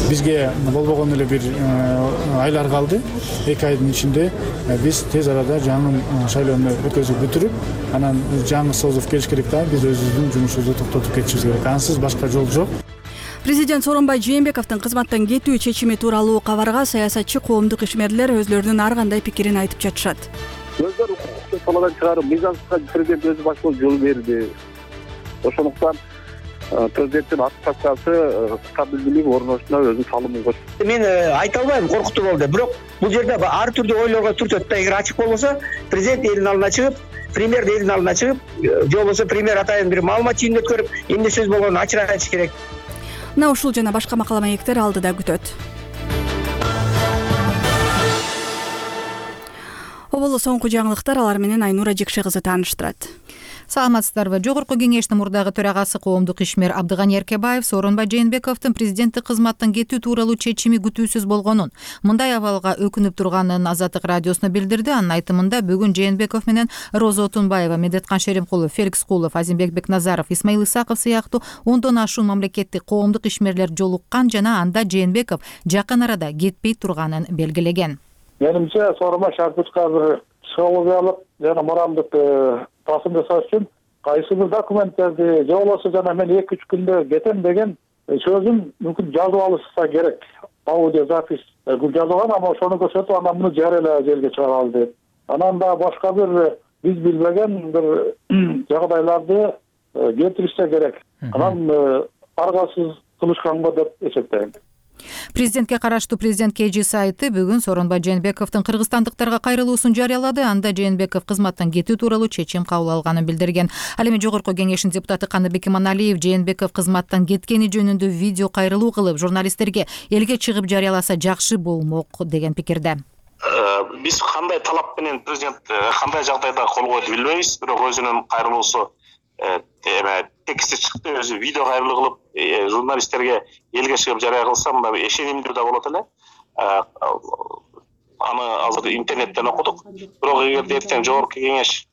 K: Бизге болбогон эле бир айлар калды. эки айдын ичинде биз тез арада жаңы шайлоону өткөзүп бүтүрүп, анан жаңы созуп келиш керек да, биз өзүбүздүн жумушубузду токтотуп кетишибиз керек. Ансыз башка жол жок.
A: Президент Сооронбай Жээнбековдун кызматтан кетүү чечими тууралуу кабарга саясатчы, коомдук ишмерлер өзлөрүнүн ар кандай пикирин айтып жатышат.
B: Өздөрү укуктук таладан чыгарып, мыйзамсызга президент өзү баш болуп жол берди. Ошондуктан президенттин отставкасы стабилдүүлүк орношуна өзүнүн салымын кошду.
E: Мен айта албайм, коркутуу болду. Бирок бул жерде ар түрдүү ойлорго түртөт да. Эгер ачык болбосо, президент элдин алдына чыгып, премьер элдин алдына чыгып, же болбосо премьер атайын бир маалымат жыйынын өткөрүп, эмне сөз болгонун ачык айтыш керек.
A: Мына ушул жана башка макала маектер алдыда күтөт. Оболу соңку жаңылыктар, алар менен Айнура Жекше кызы тааныштырат.
D: Саламатсыздарбы? Жогорку кеңештин мурдагы төрагасы коомдук ишмер Абдыганы Эркебаев Сооронбай Жээнбековдун президенттик кызматтан кетүү тууралуу чечими күтүүсүз болгонун, мындай абалга өкүнүп турганын Азаттык радиосуна билдирди. Анын айтымында бүгүн Жээнбеков менен Роза Отунбаева, Медеткан Шеримкулов, Феликс Кулов, Азимбек Бекназаров, Исмаил Исаков сыяктуу ондон ашуун мамлекеттик коомдук ишмерлер жолуккан жана анда Жээнбеков жакын арада кетпей турганын белгилеген.
B: Менимче Сооронбай Шарпычка азыр психологиялык жана моралдык басым жасаш үчүн кайсы бир документтерди же болбосо жана мен эки үч күндө кетем деген сөзүн мүмкүн жазып алышса керек. Аудио запись бул жазылган, ама ошону көрсөтүп, анан муну жарыялаа жерге чыгаралы деп. Анан да башка бир биз билбеген бир жагдайларды келтиришсе керек. Анан аргасыз кылышканго деп эсептейм.
D: Президентке караштуу президент КЖ сайты бүгүн Сооронбай Жээнбековдун кыргызстандыктарга кайрылуусун жарыялады. Анда Жээнбеков кызматтан кетүү тууралуу чечим кабыл алганын билдирген. Ал эми Жогорку кеңештин депутаты Каныбек Иманалиев Жээнбеков кызматтан кеткени жөнүндө видео кайрылуу кылып, журналисттерге элге чыгып жарыяласа жакшы болмок деген пикирде.
S: Биз кандай талап менен президент кандай жагдайда кол койду билбейбиз, бирок өзүнүн кайрылуусу эме тексти чыкты, өзү видео кайрылуу кылып журналисттерге элге чыгып жарыя кылса мындай ишенимдүү да болот эле. Аны азыр интернеттен окудук. Бирок эгерде эртең Жогорку кеңеш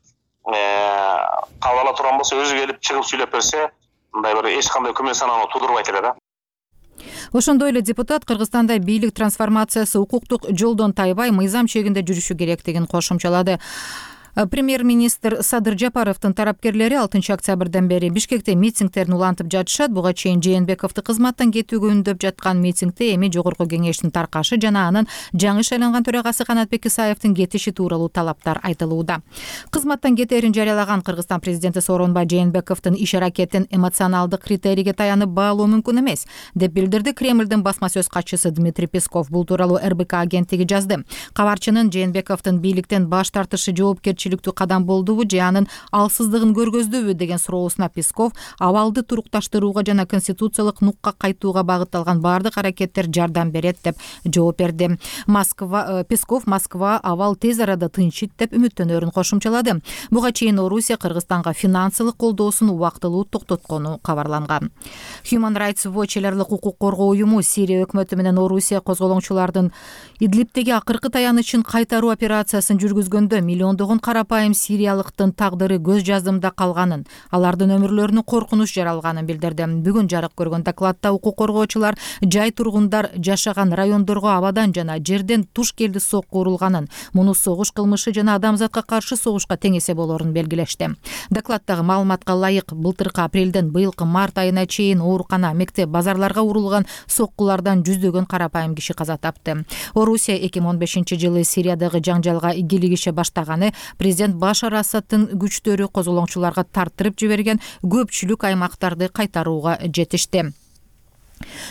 S: кабыл ала турган болсо, өзү келип чыгып сүйлөп берсе, мындай бир эч кандай күмөн санааны туудурбайт эле да.
D: Ошондой эле депутат Кыргызстанда бийлик трансформациясы укуктук жолдон тайбай, мыйзам чегинде жүрүшү керектигин кошумчалады. Премьер-министр Садыр Жапаровдун тарапкерлери алтынчы октябрдан бери Бишкекте митингдерин улантып жатышат. Буга чейин Жээнбековду кызматтан кетүүгө үндөп жаткан митингде эми Жогорку кеңештин таркашы жана анын жаңы шайланган төрагасы Канатбек Исаевдин кетиши тууралуу талаптар айтылууда. Кызматтан кетээрин жарыялаган Кыргызстан президенти Сооронбай Жээнбековдун иш аракетин эмоционалдык критерийге таянып баалоо мүмкүн эмес, деп билдирди Кремлдин басма сөз катчысы Дмитрий Песков. Бул тууралуу эр бэ ка агенттиги жазды. Кабарчынын Жээнбековдун бийликтен баш тартышы жоопкерчиликтүү кадам болдубу же анын алсыздыгын көргөздүбү деген суроосуна Песков абалды турукташтырууга жана конституциялык нукка кайтууга багытталган баардык аракеттер жардам берет деп жооп берди. Москва Песков Москва абал тез арада тынчыйт деп үмүттөнөрүн кошумчалады. Буга чейин Орусия Кыргызстанга финансылык колдоосун убактылуу токтоткону кабарланган. Human Rights Watch эларлык укук коргоо уюму Сирия өкмөтү менен Орусия козголоңчулардын Идлибтеги акыркы таянычын кайтаруу операциясын жүргүзгөндө миллиондогон карапайым сириялыктын тагдыры көз жаздымда калганын, алардын өмүрлөрүнө коркунуч жаралганын билдирди. Бүгүн жарык көргөн докладда укук коргоочулар жай тургундар жашаган райондорго абадан жана жерден туш келди сокку урулганын, муну согуш кылмышы жана адамзатка каршы согушка тең эсе болорун белгилешти. Докладдагы маалыматка ылайык былтыркы апрелден быйылкы март айына чейин оорукана, мектеп, базарларга урулган соккулардан жүздөгөн карапайым киши каза тапты. Орусия эки миң он бешинчи жылы Сириядагы жаңжалга кийлигише баштаганы президент Башар Асадтын күчтөрү козголоңчуларга тарттырып жиберген көпчүлүк аймактарды кайтарууга жетишти.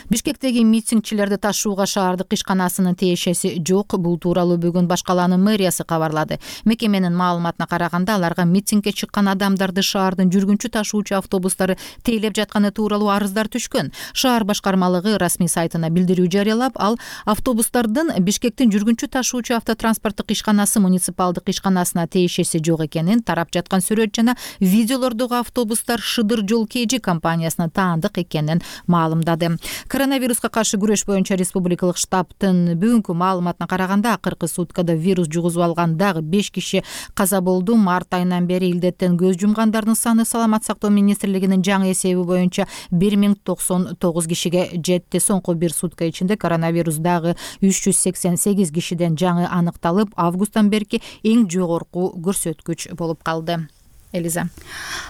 D: Бишкектеги митингчилерди ташууга шаардык ишканасынын тиешеси жок. Бул тууралуу бүгүн баш калаанын мэриясы кабарлады. Мекеменин маалыматына караганда, аларга митингге чыккан адамдарды шаардын жүргүнчү ташуучу автобустары тейлеп жатканы тууралуу арыздар түшкөн. Шаар башкармалыгы расмий сайтына билдирүү жарыялап, ал автобустардын Бишкектин жүргүнчү ташуучу автотранспорттук ишканасы муниципалдык ишканасына тиешеси жок экенин, тарап жаткан сүрөт жана видеолордогу автобустар Шыдыр жол кж компаниясына таандык экенин маалымдады. Коронавируска каршы күрөш боюнча республикалык штабтын бүгүнкү маалыматына караганда, акыркы суткада вирус жугузуп алган дагы беш киши каза болду. Март айынан бери илдеттен көз жумгандардын саны Саламат сактоо министрлигинин жаңы эсеби боюнча бир миң токсон тогуз кишиге жетти. Соңку бир сутка ичинде коронавирус дагы үч жүз сексен сегиз кишиден жаңы аныкталып, августтан берки эң жогорку көрсөткүч болуп калды. Элиза.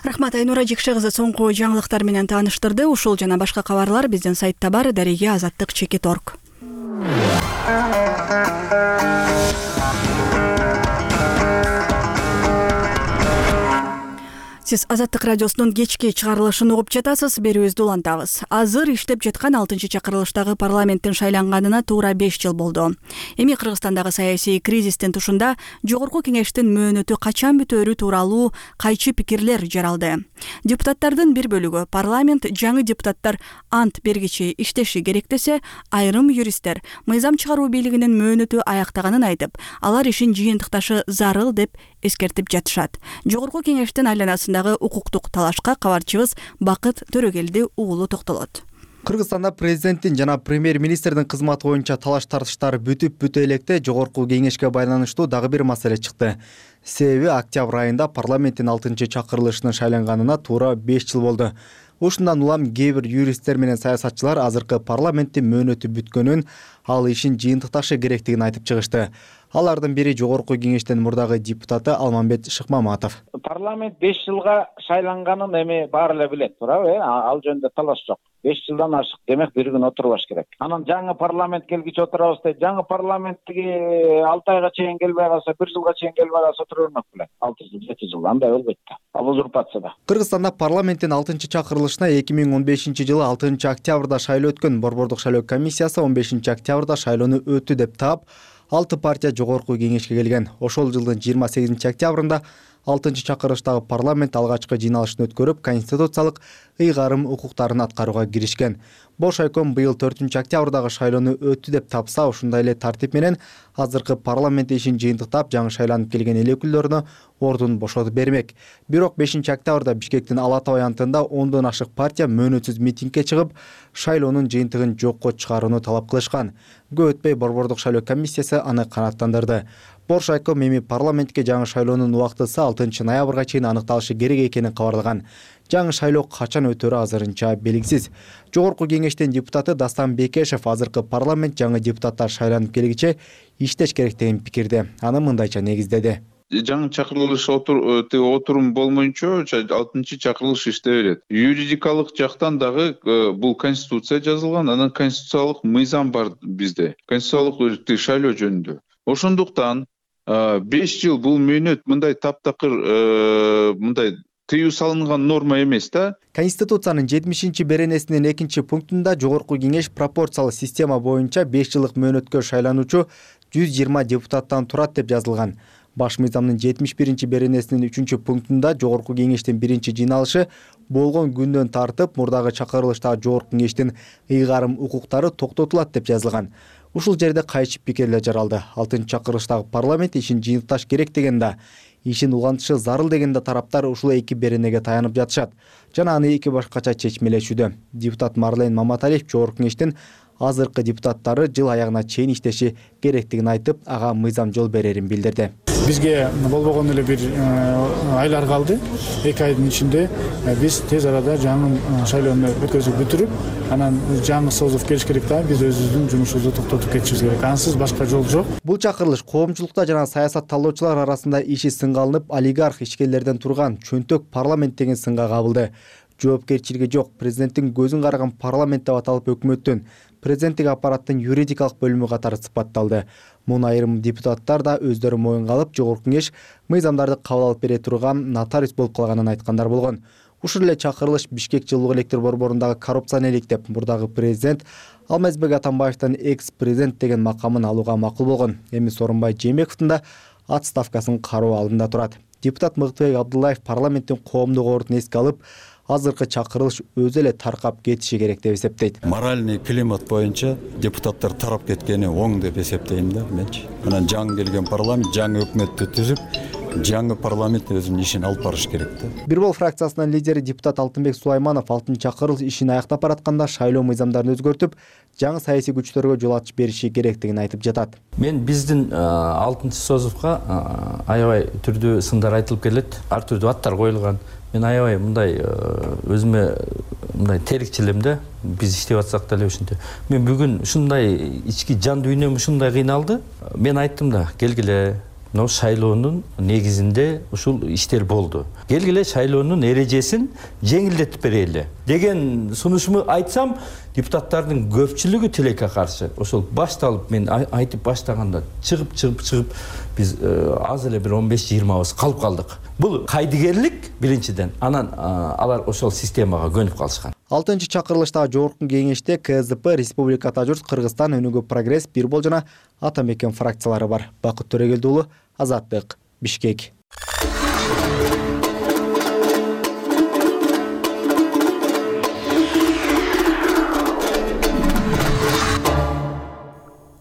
A: Рахмат, Айнура Жекше кызы соңку жаңылыктар менен тааныштырды. Ушул жана башка кабарлар биздин сайтта бар. Дареге азаттык чекит орг. Сиз Азаттык радиосунун кечки чыгарылышын угуп жатасыз. Берүүбүздү улантабыз. Азыр иштеп жаткан алтынчы чакырылыштагы парламенттин шайланганына туура беш жыл болду. Эми Кыргызстандагы саясий кризистин тушунда жогорку кеңештин мөөнөтү качан бүтөөрү тууралуу кайчы пикирлер жаралды. Депутаттардын бир бөлүгү парламент жаңы депутаттар ант бергичи иштеши керек десе, айрым юристтер мыйзам чыгаруу бийлигинин мөөнөтү аяктаганын айтып, алар ишин жыйынтыкташы зарыл деп эскертип жатышат. Жогорку кеңештин айланасындагы укуктук талашка кабарчыбыз Бакыт Төрөгелди уулу токтолот.
H: Кыргызстанда президенттин жана премьер-министрдин кызматы боюнча талаш тартыштар бүтүп бүтө электе жогорку кеңешке байланыштуу дагы бир маселе чыкты. Себеби октябрь айында парламенттин алтынчы чакырылышынын шайланганына туура беш жыл болду. Ушундан улам кээ бир юристтер менен саясатчылар азыркы парламенттин мөөнөтү бүткөнүн, ал ишин жыйынтыкташы керектигин айтып чыгышты. Алардын бири жогорку кеңештин мурдагы депутаты Алмамбет Шыкмаматов.
F: Парламент беш жылга шайланганын эми баары эле билет, туурабы? Ал жөнүндө талаш жок. беш жылдан ашык, демек бир күн отурбаш керек. Анан жаңы парламент келгиче отурабыз дейт. Жаңы парламенттиги алты айга чейин келбей калса, бир жылга чейин келбей калса отура бермек беле. алты жыл, жети жыл андай болбойт да. Ал узурпация да.
H: Кыргызстанда парламенттин алтынчы чакырылышына эки миң он бешинчи жылы алтынчы октябрда шайлоо өткөн. Борбордук шайлоо комиссиясы он бешинчи октябрда шайлоону өттү деп таап, алты партия жогорку кеңешке келген. Ошол жылдын жыйырма сегизинчи октябрында алтынчы чакырылыштагы парламент алгачкы жыйналышын өткөрүп, конституциялык ыйгарым укуктарын аткарууга киришкен. Бош айком быйыл төртүнчү октябрдагы шайлоону өттү деп тапса, ушундай эле тартип менен азыркы парламент ишин жыйынтыктап, жаңы шайланып келген эл өкүлдөрүнө ордун бошотуп бермек. Бирок бешинчи октябрда Бишкектин Ала Тоо аянтында ондон ашык партия мөөнөтсүз митингге чыгып, шайлоонун жыйынтыгын жокко чыгарууну талап кылышкан. Көп өтпөй Борбордук шайлоо комиссиясы аны канааттандырды. Бош айком эми парламентке жаңы шайлоонун убактысы алтынчы ноябрга чейин аныкталышы керек экенин кабарлаган. Жаңы шайлоо качан өтөрү азырынча белгисиз. Жогорку кеңештин депутаты Дастан Бекешев азыркы парламент жаңы депутаттар шайланып келгиче иштеш керек деген пикирде. Аны мындайча негиздеди.
I: Жаңы чакырылыш отурум болмойнчо алтынчы чакырылыш иштей берет. Юридикалык жактан дагы бул конституция жазылган, анан конституциялык мыйзам бар бизде. Конституциялык шайлоо жөнүндө. Ошондуктан беш жыл бул мөөнөт мындай таптакыр мындай тыюу салынган норма эмес да.
H: Конституциянын жетимишинчи беренесинин экинчи пунктунда жогорку кеңеш пропорциялуу система боюнча беш жылдык мөөнөткө шайлануучу жүз жыйырма депутаттан турат деп жазылган. Баш мыйзамдын жетимиш биринчи беренесинин үчүнчү пунктунда жогорку кеңештин биринчи жыйналышы болгон күндөн тартып мурдагы чакырылыштагы жогорку кеңештин ыйгарым укуктары токтотулат деп жазылган. Ушул жерде кайчы пикирлер жаралды. алтынчы чакырылыштагы парламент ишин жыйынтыкташ керек дегенде, ишин улантышы зарыл дегенде тараптар ушул эки беренеге таянып жатышат жана аны эки башкача чечмелешүүдө. Депутат Марлен Маматалиев жогорку кеңештин азыркы депутаттары жыл аягына чейин иштеши керектигин айтып, ага мыйзам жол берерин билдирди.
K: бизге болбогон эле бир айлар калды. эки айдын ичинде биз тез арада жаңы шайлоону өткөзүп бүтүрүп, анан жаңы созуп келиш керек да, биз өзүбүздүн жумушубузду токтотуп кетишибиз керек. Ансыз башка жол жок.
H: Бул чакырылыш коомчулукта жана саясат талдоочулар арасында иши сынга алынып, олигарх ишкерлерден турган чөнтөк парламент деген сынга кабылды. Жоопкерчилиги жок, президенттин көзүн караган парламент деп аталып өкмөттүн президенттик аппараттын юридикалык бөлүмү катары сыпатталды. Муну айрым депутаттар да өздөрү моюнга алып, жогорку кеңеш мыйзамдарды кабыл алып бере турган нотариус болуп калганын айткандар болгон. Ушул эле чакырылыш Бишкек жылуулук электр борборундагы коррупцияны электеп, мурдагы президент Алмазбек Атамбаевдин экс-президент деген макамын алууга макул болгон. Эми Сооронбай Жээнбековдун да отставкасын кароо алдында турат. Депутат Мыктыбек Абдуллаев парламенттин коомдук ордун эске алып, азыркы чакырылыш өзү эле таркап кетиши керек деп эсептейт.
G: Моральный климат боюнча депутаттар тарап кеткени оң деп эсептейм да менчи. Анан жаңы келген парламент жаңы өкмөттү түзүп, жаңы парламент өзүнүн ишин алып барыш керек да.
H: Бир бол фракциясынын лидери депутат Алтынбек Сулайманов алтынчы чакырылыш ишин аяктап баратканда шайлоо мыйзамдарын өзгөртүп, жаңы саясий күчтөргө жол ачып бериши керектигин айтып жатат.
J: Мен биздин алтынчы созувка аябай түрдүү сындар айтылып келет, ар түрдүү аттар коюлган. Мен аябай мындай өзүмө мындай терикчилим да, биз иштеп атсак деле ушинтип. Мен бүгүн ушундай ички жан дүйнөм ушундай кыйналды. Мен айттым да, келгиле, мына шайлоонун негизинде ушул иштер болду. Келгиле шайлоонун эрежесин жеңилдетип берели деген сунушуму айтсам, депутаттардын көпчүлүгү тилекке каршы. Ошол башталып мен айтып баштаганда чыгып чыгып чыгып биз аз эле бир он беш жыйырмабыз калып калдык. Бул кайдыгерлик биринчиден, анан алар ошол системага көнүп калышкан.
H: алтынчы чакырылыштагы жогорку кеңеште КСДП, Республика Ата журт, Кыргызстан, Өнүгүү Прогресс, Бир бол жана Ата мекен фракциялары бар. Бакыт Төрөгелди уулу, Азаттык, Бишкек.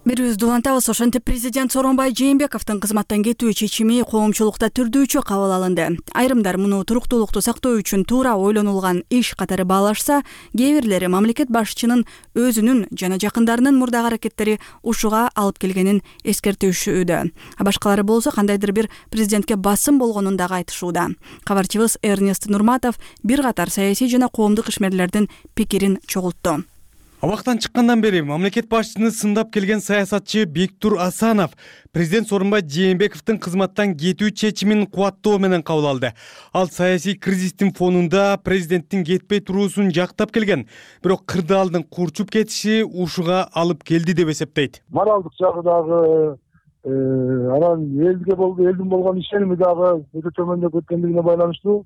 A: Берүүбүздү улантабыз. Ошентип президент Сооронбай Жээнбековдун кызматтан кетүү чечими коомчулукта түрдүүчө кабыл алынды. Айрымдар муну туруктуулукту сактоо үчүн туура ойлонулган иш катары баалашса, кээ бирлери мамлекет башчынын өзүнүн жана жакындарынын мурдагы аракеттери ушуга алып келгенин эскертишүүдө. А башкалары болсо кандайдыр бир президентке басым болгонун дагы айтышууда. Кабарчыбыз Эрнест Нурматов бир катар саясий жана коомдук ишмерлердин пикирин чогултту.
W: Абактан чыккандан бери мамлекет башчыны сындап келген саясатчы Бектур Асанов президент Сооронбай Жээнбековдун кызматтан кетүү чечимин кубаттоо менен кабыл алды. Ал саясий кризистин фонунда президенттин кетпей туруусун жактап келген, бирок кырдаалдын курчуп кетиши ушуга алып келди деп эсептейт.
B: Моралдык жагы дагы, анан элге болду, элдин болгон ишеними дагы өтө төмөндөп кеткендигине байланыштуу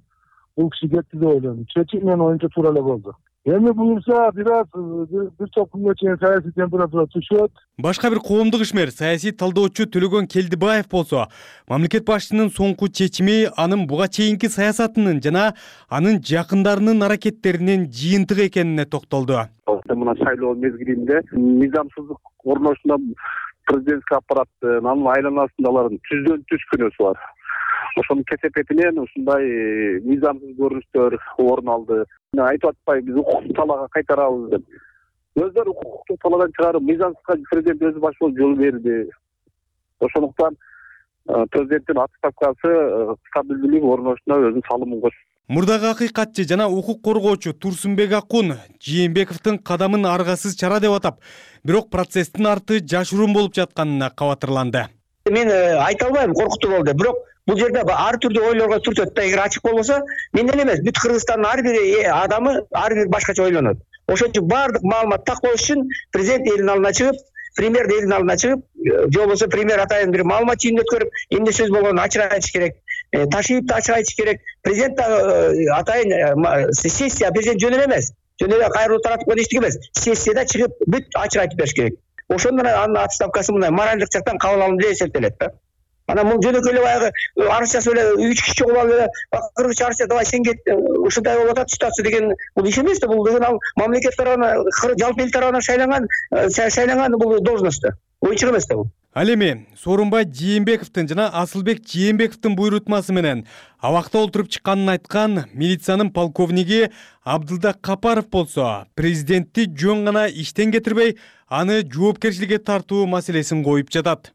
B: бул киши кетти деп ойлойм. Чечим менин оюмча туура эле болду. Эми буюрса бир аз бир топ күнгө чейин саясий температура түшөт.
W: Башка бир коомдук ишмер, саясий талдоочу Төлөгөн Келдибаев болсо, мамлекет башчынын соңку чечими анын буга чейинки саясатынын жана анын жакындарынын аракеттеринин жыйынтыгы экенине токтолду.
X: Мына шайлоо мезгилинде мыйзамсыздык орношуна президенттик аппараттын, анын айланасындагылардын түздөн түз күнөөсү бар. Ошонун кесепетинен ушундай мыйзамсыз көрүнүштөр орун алды. Айтып атпайбыз, укуктук талаага кайтарабыз деп. Өздөрү укуктук талаадан чыгарып, мыйзамсызга президент өзү баш болуп жол берди. Ошондуктан президенттин отставкасы стабилдүүлүк орношуна өзүнүн салымын кошт.
W: Мурдагы акыйкатчы жана укук коргоочу Турсунбек Акун Жээнбековдун кадамын аргасыз чара деп атап, бирок процесстин арты жашыруун болуп жатканына кабатырланды.
E: Мен айта албайм, коркутуу болду, бирок бул жерде ар түрдүү ойлорго түртөт да, эгер ачык болбосо, менден эмес, бүт Кыргызстандын ар бир адамы ар бир башкача ойлонот. Ошон үчүн баардык маалымат так болуш үчүн президент элдин алдына чыгып, премьер элдин алдына чыгып, же болбосо премьер атайын бир маалымат жыйынын өткөрүп, эмне сөз болгонун ачык айтыш керек. Ташиев да ачык айтыш керек. Президент атайын сессия президент жөн эле эмес. Жөн эле кайрылуу таратып койгон эчтеке эмес. Сессияда чыгып бүт ачык айтып бериш керек. Ошондон анын отставкасы мындай моралдык жактан кабыл алынды деп эсептелет да. Анан бул жөнөкөй эле баягы арыз жазып эле үч киши чогулуп алып эле кыргызча арыз жазып, давай сен кет, ушундай болуп атат ситуация деген бул иш эмес да, бул деген ал мамлекет тарабынан, жалпы эл тарабынан шайланган шайланган бул должность да. Ойчук эмес да бул.
W: Ал эми Сооронбай Жээнбековдун жана Асылбек Жээнбековдун буйрутмасы менен абакта олтуруп чыкканын айткан милициянын полковниги Абдылда Капаров болсо, президентти жөн гана иштен кетирбей, аны жоопкерчиликке тартуу маселесин коюп жатат.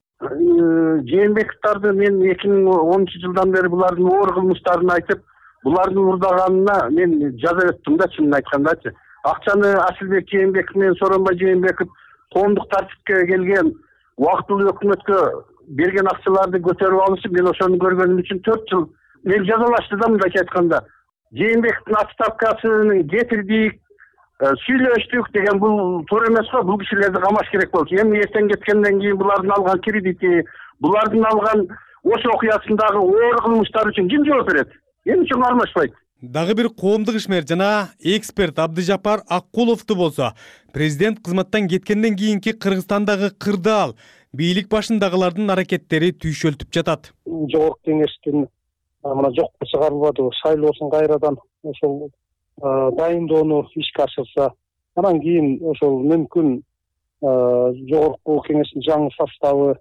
X: Жээнбековдорду мен эки миң онунчу жылдан бери булардын оор кылмыштарын айтып, булардын урдаганына мен жаза өттүм да, чынын айткандачы. Акчаны Асылбек Жээнбеков менен Сооронбай Жээнбеков коомдук тартипке келген убактылуу өкмөткө берген акчаларды көтөрүп алышып, мен ошону көргөнүм үчүн төрт жыл мен жазалашты да, мындайча айтканда. Жээнбековдун отставкасын кетирдик, сүйлөштүк деген бул туура эмес го. Бул кишилерди камаш керек болчу. Эми эртең кеткенден кийин булардын алган кредити, булардын алган ошо окуясындагы оор кылмыштар үчүн ким жооп берет? Эмне үчүн кармашпайт?
W: Дагы бир коомдук ишмер жана эксперт Абдыжапар Аккуловду болсо, президент кызматтан кеткенден кийинки Кыргызстандагы кырдаал, бийлик башындагылардын аракеттери түйшөлтүп жатат.
C: Жогорку кеңештин мына жокко чыгарылбады, шайлоосун кайрадан ошол дайындоону ишке ашырса, анан кийин ошол мүмкүн жогорку кеңештин жаңы составы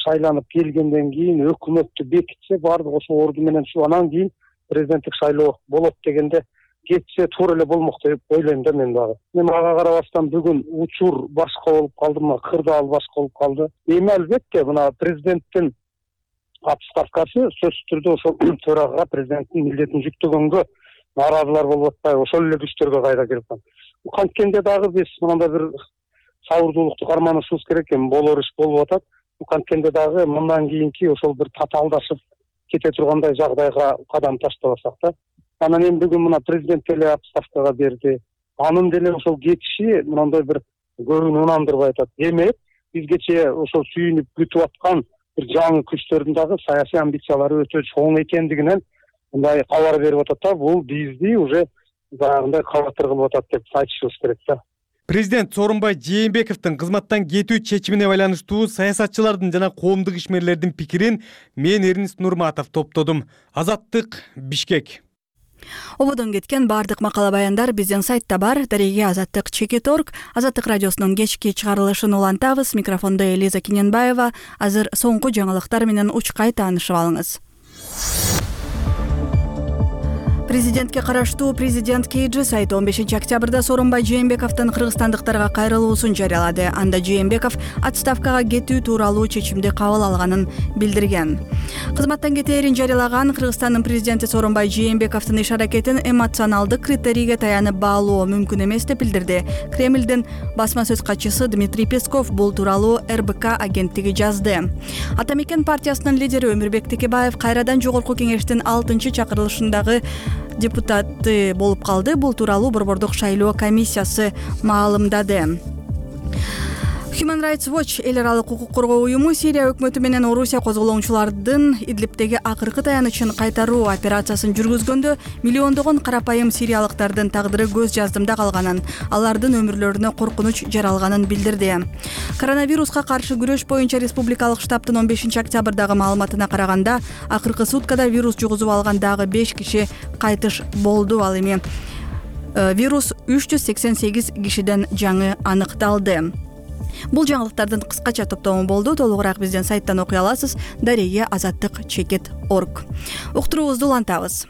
C: шайланып келгенден кийин өкмөттү бекитсе, баардык ошо орду менен ушу анан кийин президенттик шайлоо болот дегенде кетсе туура эле болмок деп ойлойм да мен дагы. Мен ага карабастан бүгүн учур башка болуп калды, мына кырдаал башка болуп калды. Эми албетте мына президенттин отставкасы сөзсүз түрдө ошол төрага президенттин милдетин жүктөгөнгө нааразылар болуп атпайбы, ошол эле күчтөргө кайра кирип калат. Канткенде дагы биз мындай бир сабырдуулукту карманышыбыз керек эми, болор иш болуп атат. Канткенде дагы мындан кийинки ошол бир татаалдашып кете тургандай жагдайга кадам таштабасак да. Анан эми бүгүн мына президент деле отставкага берди. Анын деле ошол кетиши мындай бир көбүн унандырбай атат. Демек, бизгече ошол сүйүнүп күтүп аткан бир жаңы күчтөрдүн дагы саясий амбициялары өтө чоң экендигинен мындай кабар берип атат да. Бул бизди уже баягындай кабатыр кылып атат деп айтышыбыз керек да.
W: Президент Сооронбай Жээнбековдун кызматтан кетүү чечимине байланыштуу саясатчылардын жана коомдук ишмерлердин пикирин мен Эрнест Нурматов топтодум. Азаттык, Бишкек.
A: Ободон кеткен бардык макала баяндар биздин сайтта бар. Дареге Азаттык чекит точка орг. Азаттык радиосунун кечки чыгарылышын улантабыз. Микрофондо Элиза Киненбаева. Азыр соңку жаңылыктар менен учкай таанышып алыңыз. Президентке караштуу Президент Кейджи сайты он бешинчи октябрда Сооронбай Жээнбековдун кыргызстандыктарга кайрылуусун жарыялады. Анда Жээнбеков отставкага кетүү тууралуу чечимди кабыл алганын билдирген. Кызматтан кетээрин жарыялаган Кыргызстандын президенти Сооронбай Жээнбековдун иш аракетин эмоционалдык критерийге таянып баалоо мүмкүн эмес деп билдирди. Кремлдин басма сөз катчысы Дмитрий Песков бул тууралуу эр бэ ка агенттиги жазды. Атамекен партиясынын лидери Өмүрбек Текебаев кайрадан жогорку кеңештин алтынчы чакырылышындагы депутаты болуп калды. Бул тууралуу Борбордук шайлоо комиссиясы маалымдады. Human Rights Watch эл аралык укук коргоо уюму Сирия өкмөтү менен Орусия козголоочулардын Идлибтеги акыркы таянычын кайтаруу операциясын жүргүзгөндө миллиондогон карапайым сириялыктардын тагдыры көз жаздымда калганын, алардын өмүрлөрүнө коркунуч жаралганын билдирди. Коронавируска каршы күрөш боюнча республикалык штабтын он бешинчи октябрдагы маалыматына караганда, акыркы суткада вирус жугузуп алган дагы беш киши кайтыш болду. Ал эми вирус үч жүз сексен сегиз кишиден жаңы аныкталды. Бул жаңылыктардын кыскача топтому болду. Толугураак биздин сайттан окуй аласыз. Дареге Азаттык чекит точка орг. Уктуруубузду улантабыз.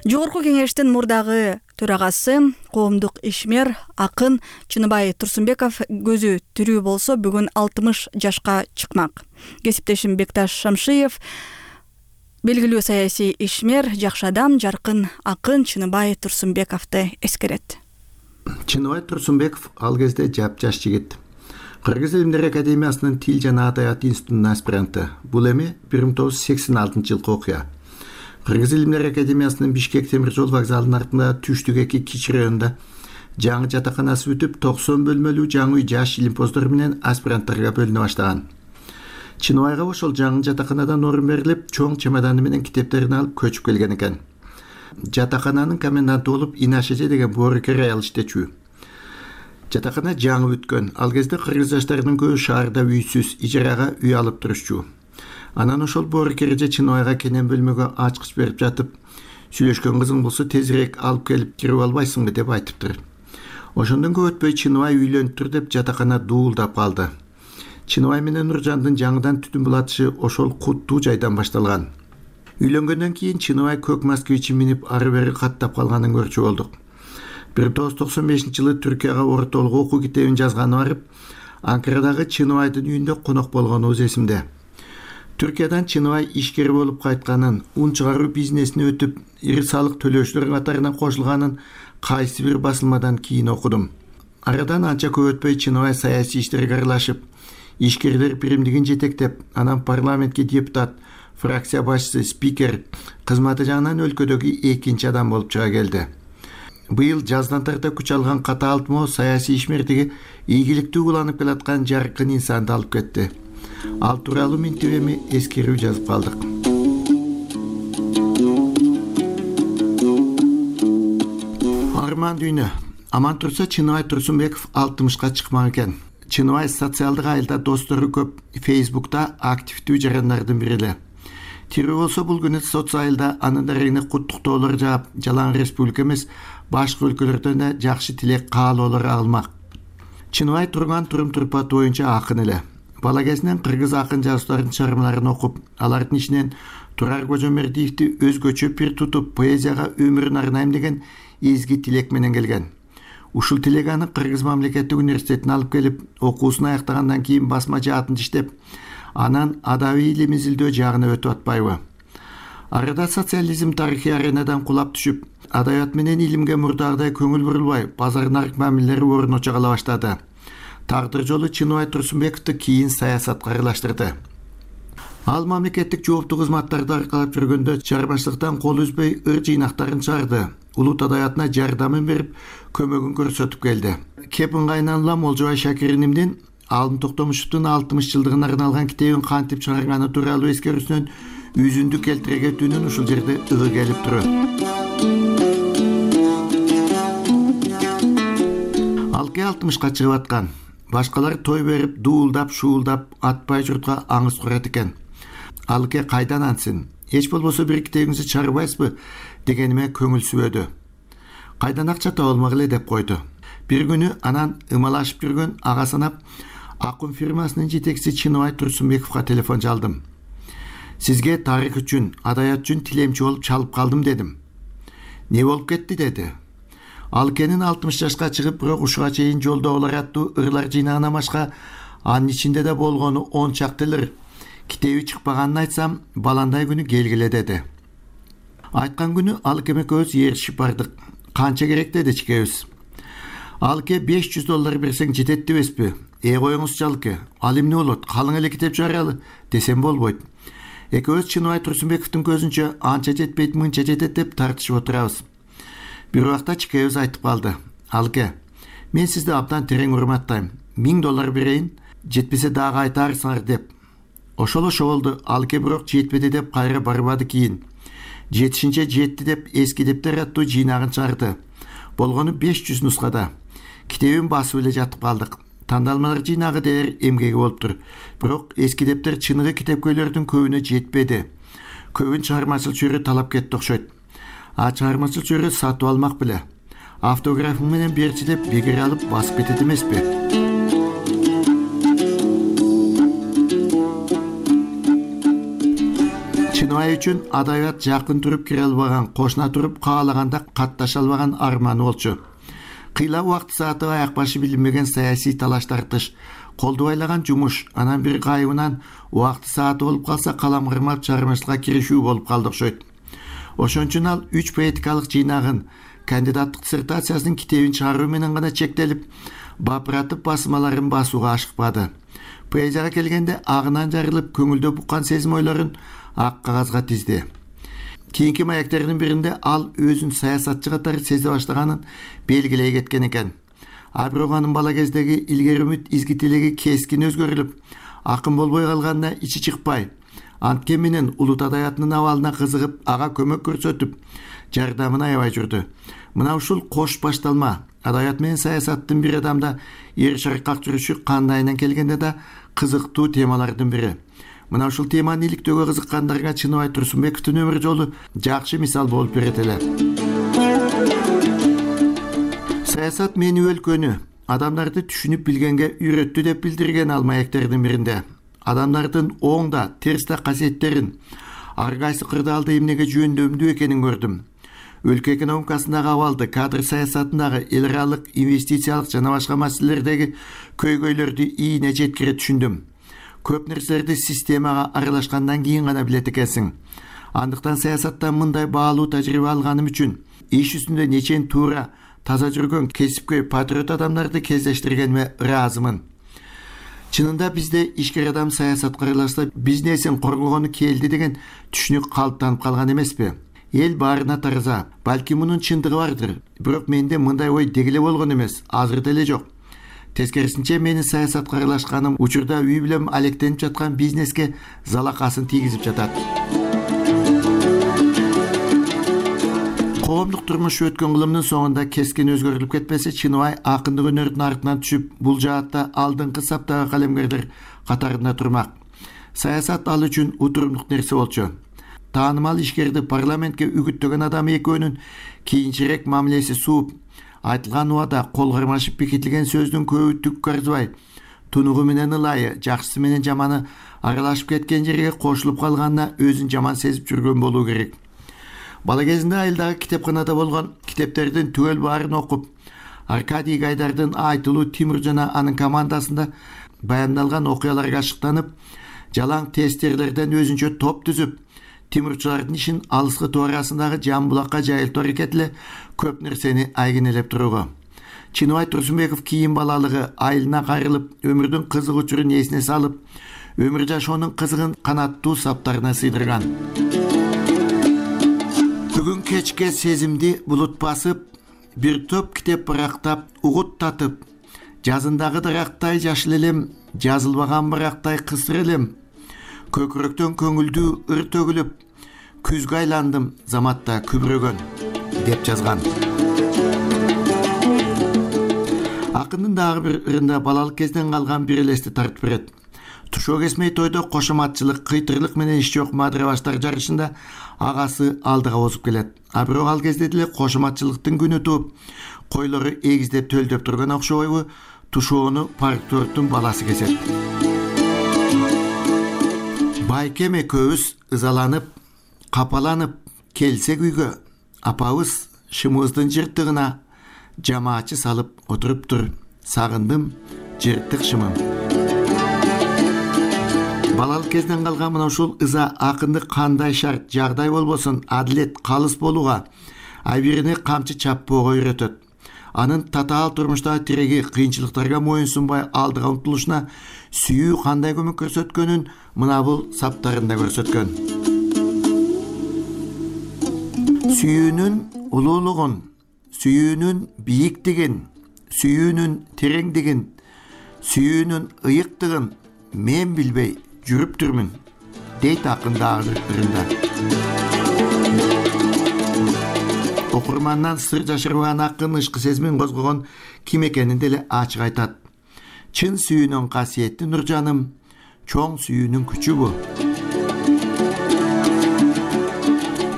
A: Жогорку кеңештин мурдагы төрагасы, коомдук ишмер, акын Чыныбай Турсунбеков көзү тирүү болсо, бүгүн алтымыш жашка чыкмак. Кесиптешим Бекташ Шамшиев белгилүү саясий ишмер, жакшы адам, жаркын акын Чыныбай Турсунбековду эскерет.
M: Чыныбай Турсунбеков ал кезде жапжаш жигит. Кыргыз илимдер академиясынын тил жана адабият институтунун аспиранты. Бул эми бир миң тогуз жүз сексен алтынчы жылкы окуя. Кыргыз илимдер академиясынын Бишкек темир жол вокзалынын артында түштүк эки кичи районунда жаңы жатаканасы бүтүп, токсон бөлмөлүү жаңы үй жаш илимпоздор менен аспиранттарга бөлүнө баштаган. Чыныбайга ошол жаңы жатаканадан орун берилип, чоң чемоданы менен китептерин алып көчүп келген экен. Жатакананын коменданты болуп Инашеже деген боорукер аял иштечү. Жатакана жаңы бүткөн. Ал кезде кыргыз жаштарынын көбү шаарда үйсүз, ижарага үй алып турушчу. Анан ошол боорукерже Чыныбайга кенен бөлмөгө ачкыч берип жатып, сүйлөшкөн кызың болсо тезирээк алып келип кирип албайсыңбы деп айтыптыр. Ошондон көп өтпөй Чыныбай үйлөнүп тур деп жатакана дуулдап калды. Чыныбай менен Нуржандын жаңыдан түтүн булатышы ошол куттуу жайдан башталган. Үйлөнгөндөн кийин Чыныбай көк москвичин минип ары бери каттап калганын көрчү болдук. бир миң тогуз жүз токсон бешинчи жылы Түркияга ортолук окуу китебин жазганы барып, Анкарадагы Чыныбайдын үйүндө конок болгонубуз эсимде. Түркиядан Чыныбай ишкер болуп кайтканын, ун чыгаруу бизнесине өтүп, ири салык төлөөчүлөр катарына кошулганын кайсы бир басылмадан кийин окудум. Арадан анча көп өтпөй Чыныбай саясий иштерге аралашып, ишкерлер биримдигин жетектеп, анан парламентке депутат, фракция башчысы, спикер кызматы жагынан өлкөдөгү экинчи адам болуп чыга келди. Быйыл жаздан тарта күч алган катаалтмоо саясий ишмердиги ийгиликтүү уланып келаткан жаркын инсанды алып кетти. Ал тууралуу минтип эми эскерүү жазып калдык. Арман дүйнө. Аман турса Чыныбай Турсунбеков алтымышка чыкмак экен. Чыныбай социалдык айылда достору көп, Фейсбукта активдүү жарандардын бири эле. Тирүү болсо бул күнү соц айылда анын дарегине куттуктоолор жаап, жалаң республика эмес, башка өлкөлөрдөн да жакшы тилек каалоолор алмак. Чыныбай турган турум-турпат боюнча акын эле. Бала кезинен кыргыз акын жазуулардын чыгармаларын окуп, алардын ичинен Турар Кожомердиевди өзгөчө пир тутуп, поэзияга өмүрүн арнайм деген изги тилек менен келген. Ушул тилек аны Кыргыз мамлекеттик университетине алып келип, окуусун аяктагандан кийин басма жаатын иштеп, анан адабий илим изилдөө жагына өтүп атпайбы. Арада социализм тарыхый аренадан кулап түшүп, адабият менен илимге мурдагыдай көңүл бурулбай, базар нарык мамилелери орночо кала баштады. Тагдыр жолу Чыныбай Турсунбековду кийин саясатка аралаштырды. Ал мамлекеттик жооптуу кызматтарды аркалап жүргөндө чыгармачылыктан кол үзбөй ыр жыйнактарын чыгарды. Улут адабиятына жардамын берип, көмөгүн көрсөтүп келди. Кеп ыңгайынан улам Олжобай Шакиринимдин Алтын Токтомушевдун алтымыш жылдыгына арналган китебин кантип чыгарганы тууралуу эскерүүсүнөн үзүндү келтире кетүүнүн ушул жерде ыгы келип турат. Алке алтымышка чыгып аткан. Башкалар той берип, дуулдап, шуулдап, атпай журтка аңыз курат экен. Алке кайдан ансın? Эч болбосо бир китебиңизди чыгарбайсызбы дегениме көңүл сүбөдү. Кайдан акча таба алмак эле деп койду. Бир күнү анан ымалашып жүргөн ага санап акын фирмасынын жетекчиси Чыныбай Турсунбековго телефон чалдым. Сизге тарых үчүн, адабият үчүн тилемчи болуп чалып калдым дедим. Не болуп кетти деди. Алкенин алтымыш жашка чыгып, бирок ушуга чейин жолдогулар аттуу ырлар жыйнагынан башка анын ичинде да болгону он чактылыр. Китеби чыкпаганын айтсам, баландай күнү келгиле деди. Айткан күнү Алке экөөбүз ээрчишип бардык. Канча керек деди чикебиз. Алке беш жүз доллар берсең жетет дебеспи? Эй коюңузчу Алке, ал эмне болот? Калың эле китеп чыгаралы десем болбойт. Экөөбүз Чыныбай Турсунбековдун көзүнчө анча жетпейт, мынча жетет деп тартышып отурабыз. Бир убакта чикебиз айтып калды. Алке, мен сизди абдан терең урматтайм. Миң доллар берейин, жетпесе дагы айтарсыңар деп. Ошол ошо болду. Алке бирок жетпеди деп кайра барбады кийин. Жетишинче жетти деп эски дептер аттуу жыйнагын чыгарды. Болгону беш жүз нускада. Китебин басып эле жатып калдык. Тандалмалар жыйнагы дээр эмгеги болуптур. Бирок эски дептер чыныгы китепкөйлөрдүн көбүнө жетпеди. Көбүн чыгармачыл чөйрө талап кетти окшойт. А чыгармачыл чөйрө сатып алмак беле. Автографың менен берчи деп бегер алып басып кетет эмеспи? Чыныбай үчүн адабият жакын туруп кире албаган, кошуна туруп каалаганда катташа албаган арманы болчу. Кыйла убакыт сааты аяк башы билинбеген саясий талаш тартыш, колду байлаган жумуш, анан бир кайыбынан убакыт сааты болуп калса калам кармап чыгармачылыкка киришүү болуп калды окшойт. Ошон үчүн ал үч поэтикалык жыйнагын, кандидаттык диссертациясынын китебин чыгаруу менен гана чектелип, бапыратып басмаларын басууга ашыкпады. Поэзияга келгенде агынан жарылып, көңүлдө буккан сезим ойлорун ак кагазга тизди. Кийинки маектеринин биринде ал өзүн саясатчы катары сезе баштаганын белгилей кеткен экен. А бирок анын бала кездеги илгери үмүт, изги тилеги кескин өзгөрүлүп, акын болбой калганына ичи чыкпай, анткен менен улут адабиятынын абалына кызыгып, ага көмөк көрсөтүп, жардамын аябай жүрдү. Мына ушул кош башталма, адабият менен саясаттын бир адамда эр шаркак жүрүшү кандайынан келгенде да кызыктуу темалардын бири. Мына ушул теманы иликтөөгө кызыккандарга Чыныбай Турсунбековдун өмүр жолу жакшы мисал болуп берет эле. Саясат мени өлкөнү, адамдарды түшүнүп билгенге үйрөттү деп билдирген ал маектердин биринде. Адамдардын оң да, терс да касиеттерин, ар кайсы кырдаалда эмнеге жөндөмдүү экенин көрдүм. өлкө экономикасындагы абалды, кадр саясатындагы, эл аралык инвестициялык жана башка маселелердеги көйгөйлөрдү ийине жеткире түшүндүм. Көп нерселерди системага аралашкандан кийин гана билет экенсиң. Андыктан саясаттан мындай баалуу тажрыйба алганым үчүн иш үстүндө нечен туура, таза жүргөн кесипкөй патриот адамдарды кездештиргениме ыраазымын. Чынында бизде ишкер адам саясатка аралашса бизнесин коргогону келди деген түшүнүк калыптанып калган эмеспи? Эл баарына тараза. Балки мунун чындыгы бардыр. Бирок менде мындай ой дегеле болгон эмес, азыр деле жок. Тескерисинче менин саясатка аралашканым учурда үй билем алектенип жаткан бизнеске залакасын тийгизип жатат. Коомдук турмуш өткөн кылымдын соңунда кескен өзгөрүлүп кетпесе, Чыныбай акындык өнөрдүн артынан түшүп, бул жаатта алдыңкы саптагы калемгерлер катарында турмак. Саясат ал үчүн утурумдук нерсе болчу. Таанымал ишкерди парламентке үгүттөгөн адам экөөнүн кийинчерээк мамилеси сууп, айтылган убада кол кармашып бекитилген сөздүн көбү түккө арзыбай, тунугу менен ылайы, жакшысы менен жаманы аралашып кеткен жерге кошулуп калганына өзүн жаман сезип жүргөн болуу керек. Бала кезинде айылдагы китепканада болгон китептердин түгөл баарын окуп, Аркадий Гайдардын айтылуу Тимур жана анын командасында баяндалган окуяларга ашыктанып, жалаң тестерлерден өзүнчө топ түзүп, Тимурчулардын ишин алыскы туурасындагы Жамбулакка жайылтуу аракет эле көп нерсени айгинелеп турууга. Чыныбай Турсунбеков кийин балалыгы айылына кайрылып, өмүрдүн кызык учурун эсине салып, өмүр жашоонун кызыгын канаттуу саптарына сыйдырган. Бүгүн кечке сезимди булут басып, бир топ китеп барактап, угут татып, жазындагы дарактай жашыл элем, жазылбаган барактай кысыр элем, көкүрөктөн көңүлдүү ыр төгүлүп, күзгө айландым заматта күбүрөгөн, деп жазган. Акындын дагы бир ырында балалык кезден калган бир элести тартып берет. Тушоо кесмей тойдо кошоматчылык, кыйтырлык менен иш жок мадырабаштар жарышында агасы алдыга озуп келет. А бирок ал кезде деле кошоматчылыктын күнү тууп, койлору эгиздеп төлдөп турган окшобойбу, тушоону партордун баласы кесет. Байкем экөөбүз ызаланып, капаланып келсек үйгө, апабыз шымыбыздын жыртыгына жамаачы салып отуруптур. Сагындым жыртык шымым. Балалык кезден калган мына ушул ыза акынды кандай шарт, жагдай болбосун, адилет, калыс болууга, айбирине камчы чаппоого үйрөтөт. Анын татаал турмуштагы тиреги, кыйынчылыктарга моюн сунбай алдыга умтулушуна сүйүү кандай көмөк көрсөткөнүн мына бул саптарында көрсөткөн. Сүйүүнүн улуулугун, сүйүүнүн бийиктигин, сүйүүнүн тереңдигин, сүйүүнүн ыйыктыгын мен билбей жүрүптүрмүн, дейт акын дагы бир ырында. Окурмандан сыр жашырбаган акын ышкы сезимин козгогон ким экенин деле ачык айтат. Чын сүйүүнүн касиети Нуржаным, чоң сүйүүнүн күчү бу.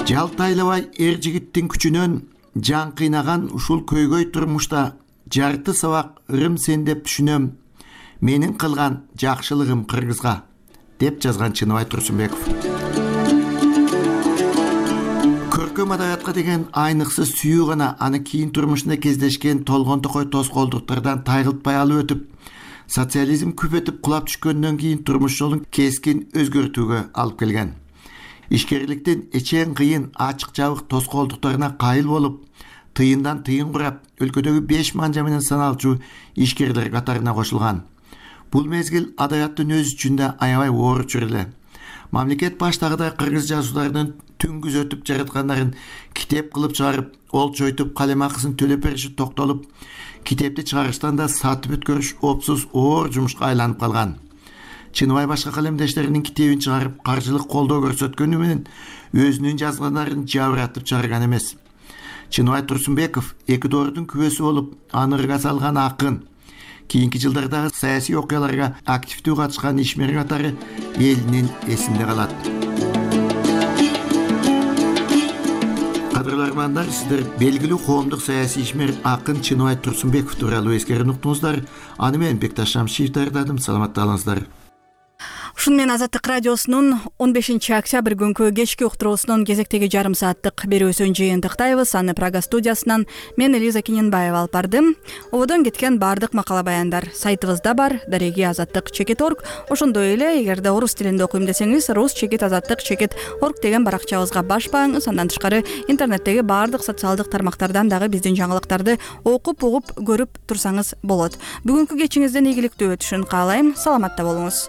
M: Жалтайлабай эр жигиттин күчүнөн жан кыйнаган ушул көйгөй турмушта жарты сабак ырым сен деп түшүнөм, менин кылган жакшылыгым кыргызга, деп жазган Чыныбай Турсунбеков. Көркөм адабиятка деген айныксыз сүйүү гана аны кийин турмушунда кездешкен толгон токой тоскоолдуктардан тайгылтпай алып өтүп, социализм күпетип кулап түшкөндөн кийин турмуш жолун кескин өзгөртүүгө алып келген. Ишкерликтин эчең кыйын, ачык жабык тоскоолдуктарына кайыл болуп, тыйындан тыйын курап, өлкөдөгү беш манжа менен саналчу ишкерлер катарына кошулган. Бул мезгил адабияттын өзү үчүн да аябай оор учур эле. Мамлекет баштагыдай кыргыз жазуулардын түңгүз өтүп жараткандарын китеп кылып чыгарып, ол чойтуп калем акысын төлөп бериши токтолуп, китепти чыгарыштан да сатып өткөрүш опсуз оор жумушка айланып калган. Чыныбай башка калемдештеринин китебин чыгарып, каржылык колдоо көрсөткөнү менен өзүнүн жазганларын жабыратып чыгарган эмес. Чыныбай Турсунбеков эки доордун күбөсү болуп, аны ырга салган акын. Кийинки жылдардагы саясий окуяларга активдүү катышкан ишмер катары элинин эсинде калат. Кадырлармандар, сиздер белгилүү коомдук саясий ишмер акын Чыныбай Турсунбеков тууралуу эскерип уктуңуздар. Аны мен Бекташ Шамшиев даярдадым. Саламатта калыңыздар.
A: Ушуну менен Азаттык радиосунун он бешинчи октябрь күнкү кечки уктуруусунун кезектеги жарым сааттык берүүсүн жыйынтыктайбыз. Аны Прага студиясынан мен Элиза Киненбаева алып бардым. Ободон кеткен баардык макала баяндар сайтыбызда бар, дареги азаттык чекит орг. Ошондой эле эгерде орус тилинде окуйм десеңиз, рус чекит азаттык чекит орг деген баракчабызга баш бааңыз. Андан тышкары интернеттеги баардык социалдык тармактардан дагы биздин жаңылыктарды окуп, угуп, көрүп турсаңыз болот. Бүгүнкү кечиңиздин ийгиликтүү өтүшүн каалайм. Саламатта болуңуз.